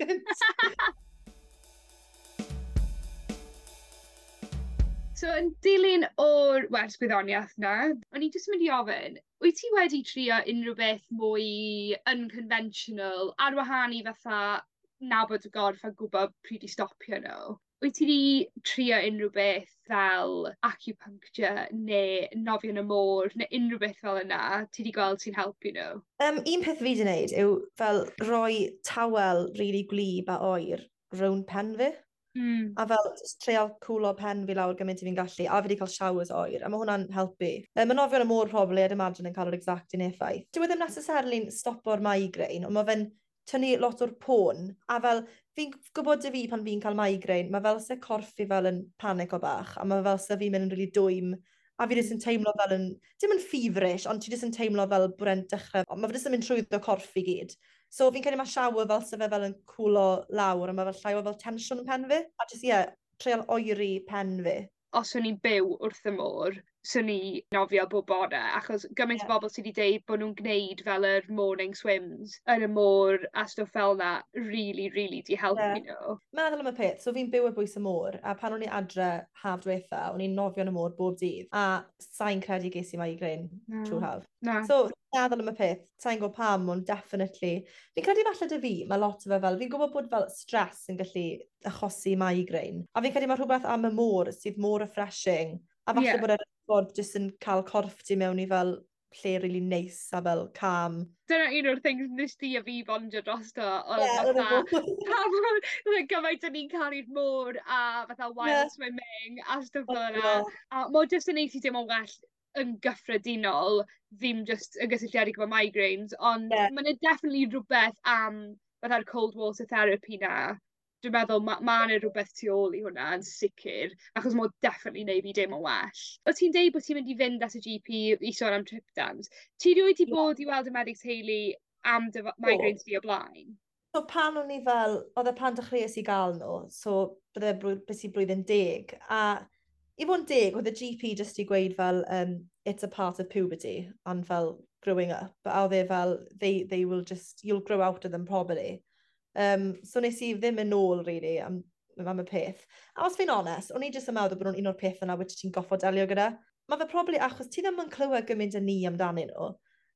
So, yn dilyn o'r wers gwyddoniaeth 'na, o'n i jyst yn mynd i ofyn, wyt ti wedi trio unryw beth mwy unconventional ar wahân i fatha nabod dy gorff a gwbod pryd i stopio n'w? Wyt ti 'di trio unryw beth fel acupuncture ne' nofio yn y môr ne' unryw beth fel yna ti 'di gweld sy'n helpu n'w? Um, un peth fi 'di neud yw fel rhoi tawel rili gwlyb a oer rownd pen fi. Mm. A fel jyst treial cwlo pen fi lawr gymaint i fi'n gallu, a fi 'di cael showers oer, a ma' hwnna'n helpu. Um, ma' nofio yn y môr probably, I'd imagine, yn cael yr exact un effaith. Dyw e ddim necessarily'n stopo'r migraine, ond ma' fe'n tynnu lot o'r poen, a fel fi'n gwybod 'da fi pan fi'n cael migraine, ma' fel se corff fi fel yn panico bach, a ma' fel se fi'n mynd yn rili dwym, a fi jyst yn teimlo fel yn, dim yn feverish, ond ti jyst yn teimlo fel bod e'n dechrau, ond ma' fe jyst yn mynd trwyddo corff i gyd. So fi'n credu ma' shower fel se fe fel yn cwlo lawr, a ma' fel llai o fel tensiwn yn pen fi. A jyst, ie, yeah, treial oeri pen fi. Os o'n i'n byw wrth y môr, swn i nofio bob bore, achos gymaint Ie. o bobl sy 'di deud bo' nw'n gneud fel yr morning swims yn y môr a stwff fel 'na rili rili 'di helpu Ie. nhw. Meddwl am y peth, so fi'n byw ar bwys y môr, a pan o'n i adre haf diwetha, o'n i'n nofio yn y môr bob dydd, a sai'n credu ges i migraine Na. trwy'r haf. Na. So, meddwl am y peth, sai'n gwybod pam, ond definitely. Fi'n credu falle 'da fi, mae lot o fe fel, fi'n gwybod bod fel stress yn gallu achosi migraine, a fi'n credu mae rhywbeth am y môr sydd mor refreshing, a falle Ie. bod e'n ffordd jyst yn cael corff ti mewn i fel lle really neis a fel calm. Dyna un o'r things nes di a fi bondio drosto, oedd Ie, oedd e fatha, mor- pa mor like, gymaint o'n ni'n caru'r môr a fatha wild Ie. swimming a stwff fel yna. Ie. A ma' o jyst yn neud ti deimlo'n well yn gyffredinol, ddim jyst yn gysylltiedig efo migraines, ond Ie. ma' 'na definitely rhywbeth am fatha'r cold water therapy 'na. Dwi'n meddwl ma' ma' 'na rwbeth tu ôl i hwnna yn sicir, achos ma' o definitely neud fi deimlo'n well. O' ti'n deud bo' ti'n mynd i fynd at y G P i sôn am triptans. Ti rioed 'di Ie. bod i weld y meddyg teulu am dy f- migraines di o blaen? So pan o'n i fel, oedd e pan dechreuais i gael nhw, so bydde blwy- beth i blwyddyn deg, a i fod yn deg, oedd y G P jyst i gweud fel, um, it's a part of puberty, and fel growing up, a oedd e fel, they, they will just, you'll grow out of them probably. Um, so nes i ddim yn ôl, really, am, am y peth. A os fi'n onest, o'n i jyst yn meddwl bod nhw'n un o'r pethau yna which ti'n goffod delio gyda. Mae fe probably achos ti ddim yn clywed gymaint â ni amdanyn nhw.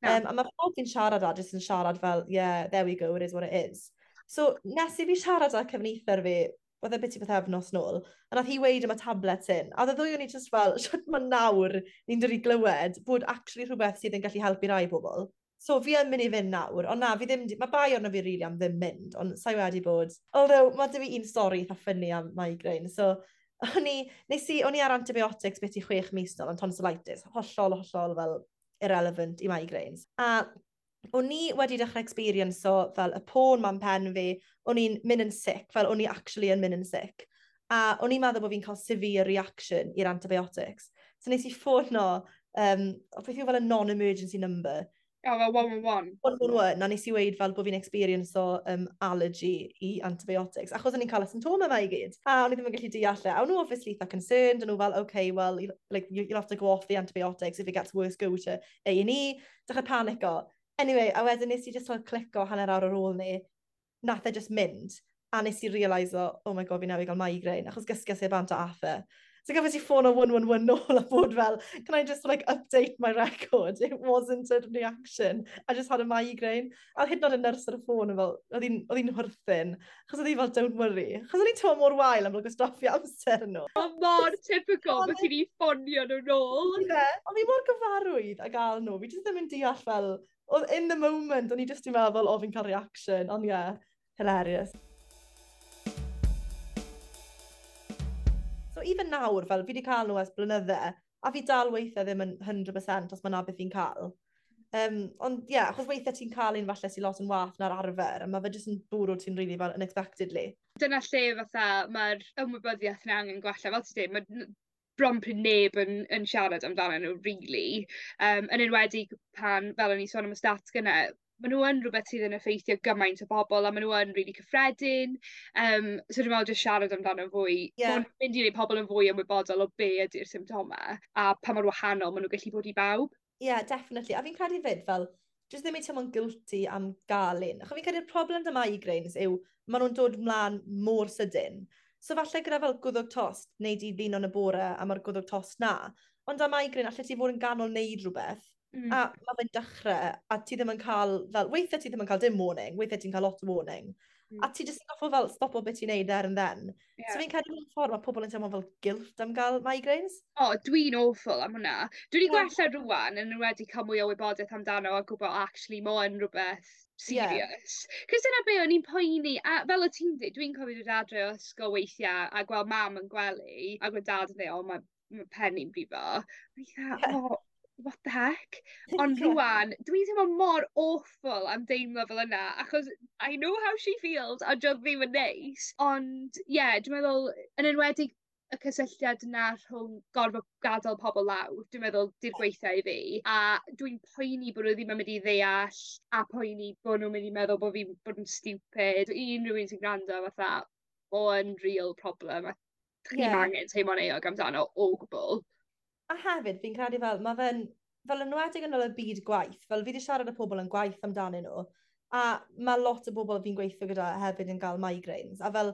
Na. Um, a mae pawb fi'n siarad â jyst yn siarad fel, yeah, there we go, it is what it is. So nes i fi siarad â cefnither fi oedd e byti bythefnos nôl, a nath hi weud am y tablets hyn, a oedd y ddwy o'n i just fel, shwt mae nawr ni'n dod i glywed bod actually rhywbeth sydd yn gallu helpu rai bobl. So fi yn mynd i fynd nawr, ond na, fi ddim, mae bai arno fi really am ddim mynd, ond sa'i wedi bod. Although, mae 'da fi un stori eitha funny am migraine, so o'n i, nes i, o'n i ar antibiotics beth i chwech mis nôl am tonsillitis, hollol, hollol fel irrelevant i migraines. A o'n i wedi dechrau experience o fel y poen ma'n pen fi, o'n i'n mynd yn sick, fel o'n i actually yn mynd yn sick. A o'n i'n meddwl bod fi'n cael severe reaction i'r antibiotics. So nes i ffono, um, beth yw fel y non-emergency number, Oh, fel one one one. one one one, a nes i weud fel bod fi'n experience o um, allergy i antibiotics, achos o'n i'n cael y symptomau yma i gyd. A o'n i ddim yn gallu deall e. A o'n nhw obviously eitha concerned, o'n nhw fel, "Okay, well, you, like, you, you'll have to go off the antibiotics. If it gets worse, go to A and E" Dechrau panico. Anyway, a wedyn nes i just fel clico hanner awr ar ôl ni, nath e just mynd. A nes i realise o, oh my God, fi newydd gael migraine, achos gysges i bant o ath e. So gafes i ffôn o one one one nôl a bod fel, "Can I just like update my record? It wasn't a reaction. I just had a migraine." A hyd yn oed y nyrs ar y ffôn yn fel, oedd hi'n oedd hi'n chwerthin. Achos oedd hi fel, "Don't worry." Achos o'n i'n teimlo mor wael am fel gwastraffu amser nhw. Mae mor typical bod ti'n i ffonio nhw nôl. Ie, ond fi mor gyfarwydd a gael nhw. Fi jyst ddim yn deall fel, oedd in the moment, o'n i jyst yn meddwl, o, fi'n cael reaction. Ond ie, yeah, hilarious. So even nawr, fel fi wedi cael nhw ers blynydde, a fi dal weithiau ddim yn cant y cant os mae 'na beth fi'n cael. Um, ond ie, yeah, achos weithiau ti'n cael un falle sy'n lot yn wath na'r arfer, a mae fe jyst yn bwrw ti'n really fel unexpectedly. Dyna lle fatha mae'r ymwybyddiaeth yna angen gwella. Fel ti'n dweud, mae n- bron pryd neb yn, yn siarad amdano nhw, really. Um, yn enwedig pan, fel o'n i sôn am y stats gynne, maen nhw yn rhywbeth sydd yn effeithio gymaint o bobl a maen nhw yn really cyffredin. Um, so dwi'n meddwl just siarad amdano fwy. Ie. Yeah. Mynd i wneud pobl yn fwy ymwybodol o be ydy'r symptomau a pa mor wahanol maen nhw'n gallu bod i bawb. Ie, yeah, definitely. A fi'n credu fyd fel, jyst ddim i teimlo'n guilty am gael un. Achos fi'n credu'r problem 'da migraines yw, maen nhw'n dod mlaen mor sydyn. So falle gyda fel gwddwg tost, neu di blino yn y bore a mae'r gwddwg tost na. Ond â migraine, allet ti fod yn ganol neud rhywbeth, Mm. a mae fe'n dechrau, a ti ddim yn cael, fel, weithiau ti ddim yn cael dim warning, weithiau ti'n cael lot o warning. Mm. A ti jyst yn goffo fel stopo beth ti'n neud there and then. Yeah. So fi'n credu mewn ffordd mae pobl yn teimlo fel guilt am gael migraines. O, dwi'n awful am hwnna. Dwi wedi Ie. gwella rwan yn wedi cael mwy o wybodaeth amdano a gwybod actually mae o'n rhywbeth serious. Yeah. Cos dyna be o'n i'n poeni, a fel o ti'n dweud, dwi'n cofio dod adre o ysgol weithiau a gweld mam yn gwely a gweld dad yn dweud, "O, mae ma pen i'n brifo." O'n i fatha, Ie. "Oh, what the heck?" Ond Ie. rwan, dwi'n teimlo mor awful am deimlo fel yna, achos I know how she feels, a dio ddim yn neis. Ond, ie, yeah, dwi'n meddwl, yn enwedig y cysylltiad yna rhwng gorfod gadael pobl lawr, dwi'n meddwl di'r gweitha i fi. A dwi'n poeni bod nhw ddim yn mynd i ddeall, a poeni bod nhw'n mynd i meddwl bod fi'n bod yn stupid. I unrhyw un sy'n gwrando fatha, o'n real problem, a chi'm Ie. angen teimlo'n euog amdano o gwbl. A hefyd, fi'n credu fel, mae fe'n, fel enwedig yn ôl y byd gwaith, fel fi wedi siarad â pobl yn gwaith amdanyn nhw, a mae lot o bobl fi'n gweithio gyda hefyd yn cael migraines, a fel,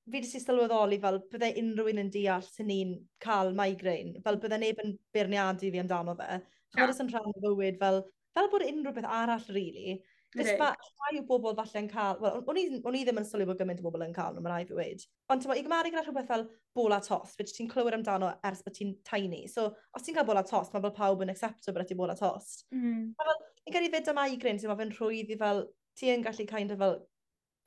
fi wedi sylweddoli fel bydde unrhyw un yn deall sy'n ni'n cael migraine, fel bydde neb yn beirniadu fi amdano fe. Na. Ch'mod, jyst yn rhan o fywyd, fel, fel bod unrhyw beth arall, really. Jyst Ydi. fa, rhai o bobl falle yn cael, wel, o'n i, o'n i ddim yn sylwi bod gymaint o bobl yn cael nhw, mae rhaid fi weud. Ond ti'n i gymharu gyda rhywbeth fel bola tost, which ti'n clywed amdano ers bod ti'n tiny. So, os ti'n cael bola tost, mae fel pawb yn accepto bod ti bola tost. Mm. Fi'n credu fyd y migraine, ti'n fe'n rhwydd i fel, ti yn gallu kind of fel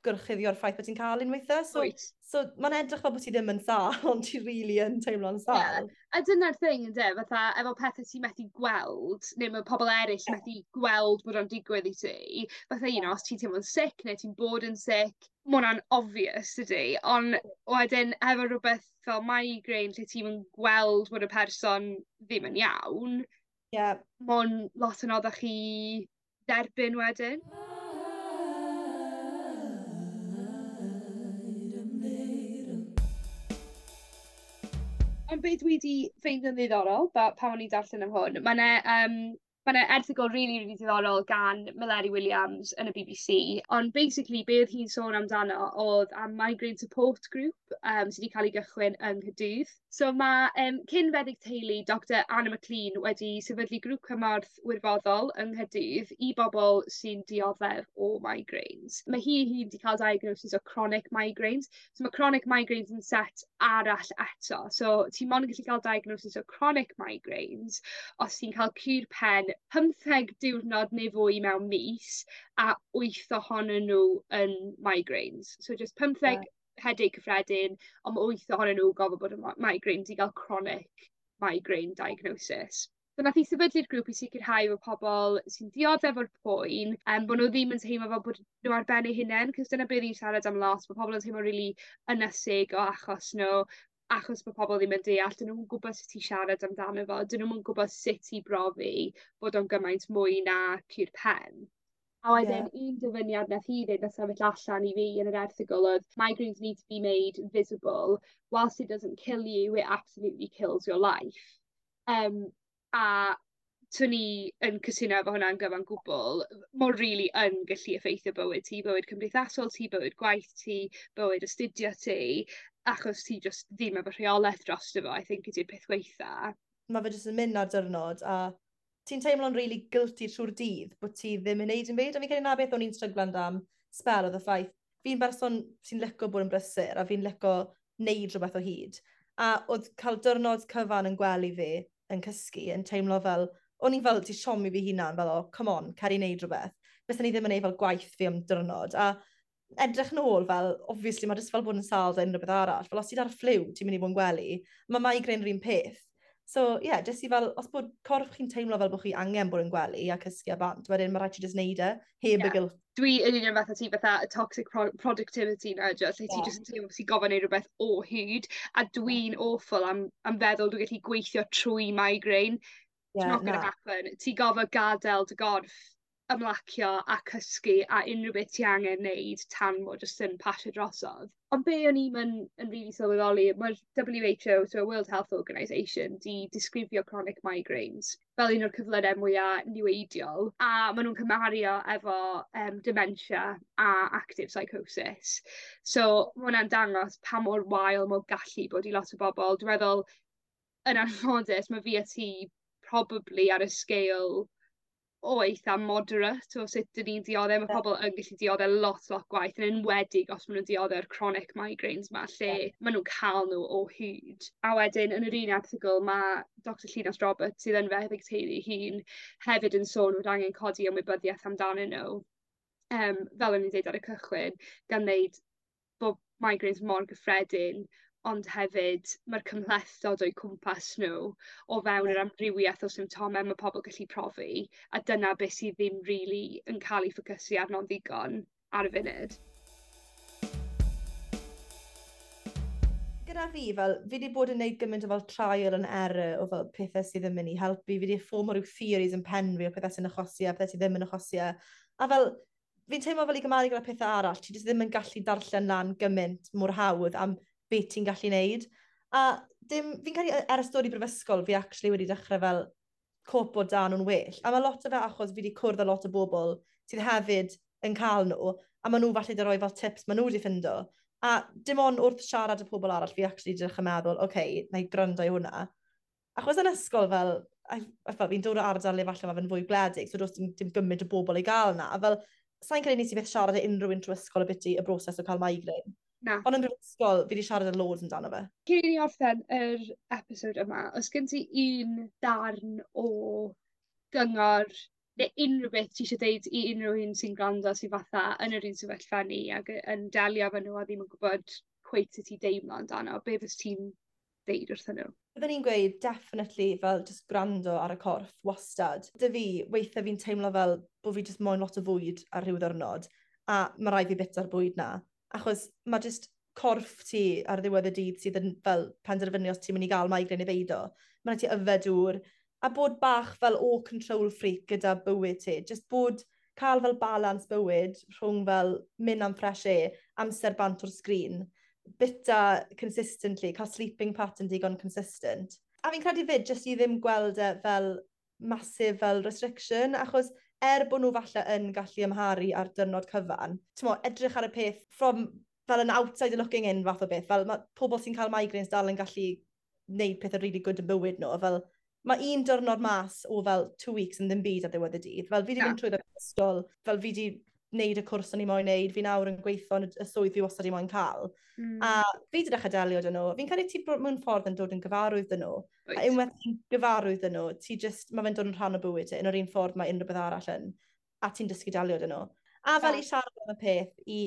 gorchuddio'r ffaith bod ti'n cael un weithiau. So, Wyt. so mae'n edrych fel bod ti ddim yn sâl, ond ti really yn teimlo'n sâl. A dyna'r thing, ynde, fatha, efo pethau ti'n methu gweld, neu mae pobl eraill methu gweld bod o'n digwydd i ti. Fatha, you know, os ti'n teimlo'n sick neu ti'n bod yn sick, ma' hwnna'n obvious, dydy. Ond wedyn, efo rhywbeth fel migraine, lle ti'n yn gweld bod y person ddim yn iawn, Ie, yeah. ma' o'n lot yn anoddach i dderbyn wedyn. Paid ymddiheuro. Ond be dwi 'di ffeindio'n ddiddorol, ba- pan o'n i'n darllen am hwn, ma' 'ne um, ma' 'ne erthygl rili, rili diddorol gan Meleri Williams yn y B B C, ond basically be o'dd hi'n sôn amdano oedd am migraine support group um, sy 'di cael ei gychwyn yng Nghaerdydd. So ma' yym cyn feddyg teulu Doctor Anna McLean wedi sefydlu grŵp cymorth wirfoddol yng Nghaerdydd i bobol sy'n dioddef o migraines. Ma' hi 'i hun 'di ca'l diagnosis o chronic migraines. So ma' chronic migraines yn set arall eto. So ti mond yn gallu ca'l diagnosis o chronic migraines os ti'n ca'l cur pen pymtheg diwrnod neu fwy mewn mis a wyth ohonyn n'w yn migraines. So jyst pymtheg headache cyffredin on' ma' wyth ohonyn n'w gofo bod yn mi- migraines i ga'l chronic migraine diagnosis. So nath 'i sefydlu'r grŵp i sicirhau bo' pobol sy'n dioddef o'r poen yym bo' n'w ddim yn teimlo fel bod n'w ar ben eu hunen 'cos dyna be' ni'n siarad am lot ma' pobol yn teimlo rili ynysig o achos n'w achos bo' pobol ddim yn deall 'dyn nw'm yn gwbod sut i siarad amdano fo 'dyn nw'm yn gwbod sut i brofi bod o'n gymaint mwy na cur pen. A wedyn un dyfyniad nath hi ddeud nath sefyll allan i fi yn yr erthygl o'dd migraines need to be made visible whilst it doesn't kill you it absolutely kills your life. Yym a swn i yn cytuno efo hwnna'n gyfan gwbwl. M'o rili yn gallu effeithio bywyd ti bywyd cymdeithasol ti bywyd gwaith ti bywyd astudio ti achos ti jyst ddim efo rheoleth drosto fo I think ydi'r peth gweitha. Ma' fe jyst yn mynd ar diwrnod a ti'n teimlo'n really guilty trwy'r dydd bod ti ddim yn neud dim byd. A fi'n credu 'na beth o'n i'n stryglan am sbel o'dd y ffaith fi'n berson sy'n lico bod yn brysur a fi'n lico neud rhywbeth o hyd. A o'dd ca'l diwrnod cyfan yn gwely fi yn cysgu yn teimlo fel o'n i fel 'di siomi fi hunan fel o come on cer i neud rhywbeth. Bysen i ddim yn neud fel gwaith fi am diwrnod a edrych nôl fel obviously ma' jyst fel bod yn sâl 'da unrhyw beth arall. Fel os ti 'da'r ffliw ti'n mynd i fod yn gwely, ma' migraine yr un peth. So ie, yeah, jyst i fel, os bod corff chi'n teimlo fel bod chi angen bod yn gwely a cysgu a bant, wedyn ma' raid ti jyst neud e, heb Ie. y guilt. Dwi yn union fath o ti fatha y toxic pro productivity 'na dio lle ti Ie. jyst yn teimlo ti gofo neud rwbeth o hyd a dwi'n awful am am feddwl dwi gallu gweithio trwy migraine. Ie, It's not gonna na. happen. Ti gofo gadel dy gorff ymlacio a cysgu a unryw beth ti angen neud tan mo jyst yn pasio drosodd. Ond be' o'n i'm yn yn rili sylweddoli ma'r W H O so World Health Organization 'di disgrifio chronic migraines fel un o'r cyflyre mwya niweidiol a ma' nw'n cymharu o efo yym dementia a active psychosis. So ma' wnna'n dangos pa mor wael m'o gallu bod i lot o bobol. Dwi meddwl yn anffodus ma' fi a ti probably ar y scale o eitha moderate o sut 'dyn ni'n diodde ma' Ie. pobol yn gallu diodde lot lot gwaeth yn enwedig os ma' nw'n diodde'r chronic migraines 'ma lle ma' nw'n ca'l n'w o hyd. A wedyn yn yr un erthygl ma' Doctor Llinos Roberts sydd yn feddyg teulu 'i hun hefyd yn sôn fod angen codi ymwybyddiaeth amdanyn n'w. Yym fel o'n i'n deud ar y cychwyn gan ddeud bo' migraines mor gyffredin ond hefyd ma'r cymhlethdod o'u cwmpas n'w o fewn yr amrywieth o symptome ma' pobol gallu profi a dyna beth sydd ddim rili yn ca'l 'i ffocysu arno'n ddigon ar y funud. Gyda fi fel fi 'di bod yn neud gymaint o fel trial and error o fel pethe sydd yn myn' i helpu. Fi 'di fformo ryw theories yn pen fi o pethe sy'n achosi e, pethe sy ddim yn achosi e. A fel fi'n teimlo fel i gymharu gyda pethe arall, ti jyst ddim yn gallu darllen lan gymaint mor hawdd am beth ti'n gallu neud. A dim, fi'n credu ers dod i brifysgol fi actually wedi dechrau fel copo 'da nhw'n well. A ma' lot o fe achos fi 'di cwrdd â lot o bobl sydd hefyd yn cael nhw, a ma' nhw falle 'di rhoi fel tips ma' nhw wedi ffindo. A dim ond wrth siarad â pobl arall fi actually 'di dechrau meddwl, oce, wna i gwrando i hwnna. Achos yn ysgol fel, I, I fel fi'n dod o ardal le falle ma' fe'n fwy gwledig, so does dim, dim gymaint o bobl i gael 'na. A fel, sa'n credu nes i byth siarad â unrhyw un trwy ysgol ambiti y broses o cael migraine. Na. Ond yn brifysgol, fi 'di siarad â loads amdano fe. Cyn i ni orffen yr episod yma, oes gen ti un darn o gyngor neu unrhyw beth ti eisiau deud i unrhyw un sy'n gwrando sy'n fatha yn yr un sefyllfa ni ac yn delio efo nhw a ddim yn gwybod cweit sut i deimlo amdano, be fysa ti'n deud wrthyn nhw? Byddwn i'n gweud definitely fel just gwrando ar y corff wastad. 'Da fi, weithiau fi'n teimlo fel bod fi just moyn lot o fwyd ar rhyw ddiwrnod a ma' raid fi bita'r bwyd 'na. Achos ma' just corff ti ar ddiwedd y dydd sydd yn fel penderfynu os ti'n mynd i gael migraine neu beidio. Ma' raid ti yfed dŵr a bod bach fel o control freak gyda bywyd ti. Just bod, cael fel balance bywyd rhwng fel mynd am fresh air, amser bant o'r sgrin, bita consistently, cael sleeping pattern digon consistent. A fi'n credu fyd, jyst i ddim gweld e fel massive fel restriction, achos er bod nhw falle yn gallu amharu ar diwrnod cyfan, t'mo, edrych ar y peth from fel an outsider looking in fath o beth, fel ma' pobl sy'n cael migraines dal yn gallu wneud pethau really good yn bywyd nhw. Fel, mae un diwrnod mas o fel two weeks yn ddim byd ar ddiwedd y dydd. Fel fi wedi mynd trwy ysgol, fel fi wedi wneud y cwrs o'n i moyn wneud, fi nawr yn gweithio yn y swydd fi wastad i moyn cael. Mm. A fi wedi dechrau delio 'da nhw. Fi'n credu ti mewn ffordd yn dod yn gyfarwydd 'da nhw. Right. A unwaith ti'n gyfarwydd 'da nhw, ti just, mae fe'n dod yn rhan o bywyd ti, yn yr un ffordd mae unrhyw beth arall yn, a ti'n dysgu delio 'da nhw. A fel i siarad am y peth, i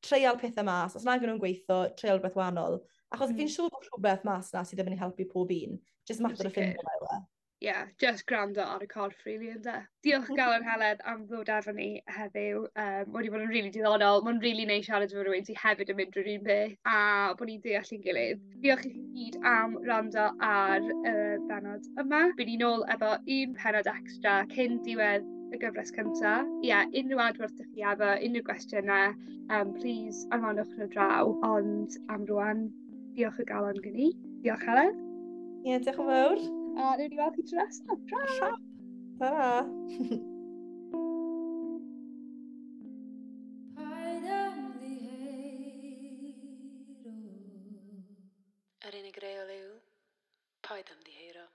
treial pethau mas, os nag nhw'n gweithio, treial rhywbeth wahanol. Achos mm. fi'n siŵr bod rhywbeth mas na sydd ddim yn helpu pob un. Just mater o ffindo fe. E. Yeah, just gwrando ar y corff, really, ynde. Diolch galon Heledd am ddod efo ni heddiw. Um, wedi bod yn really diddorol. Mae'n really neis siarad efo rhywun sydd hefyd yn mynd drwy'r un peth a bod ni'n deall ein gilydd. Diolch i chi gyd am wrando ar y uh, benod yma. Bydd ni nôl efo un penod extra cyn diwedd y gyfres cynta. Ie, yeah, unrhyw adborth ydych chi efo, unrhyw gwestiynau, um, please anfonwch nhw draw. Ond am rwan, diolch o galon gen i. Diolch Heledd. Ie, yeah, diolch yn fawr. A newn ni weld chi tro nesaf. Tra! Ta-ra! Yr unig reol yw, paid ymddiheuro.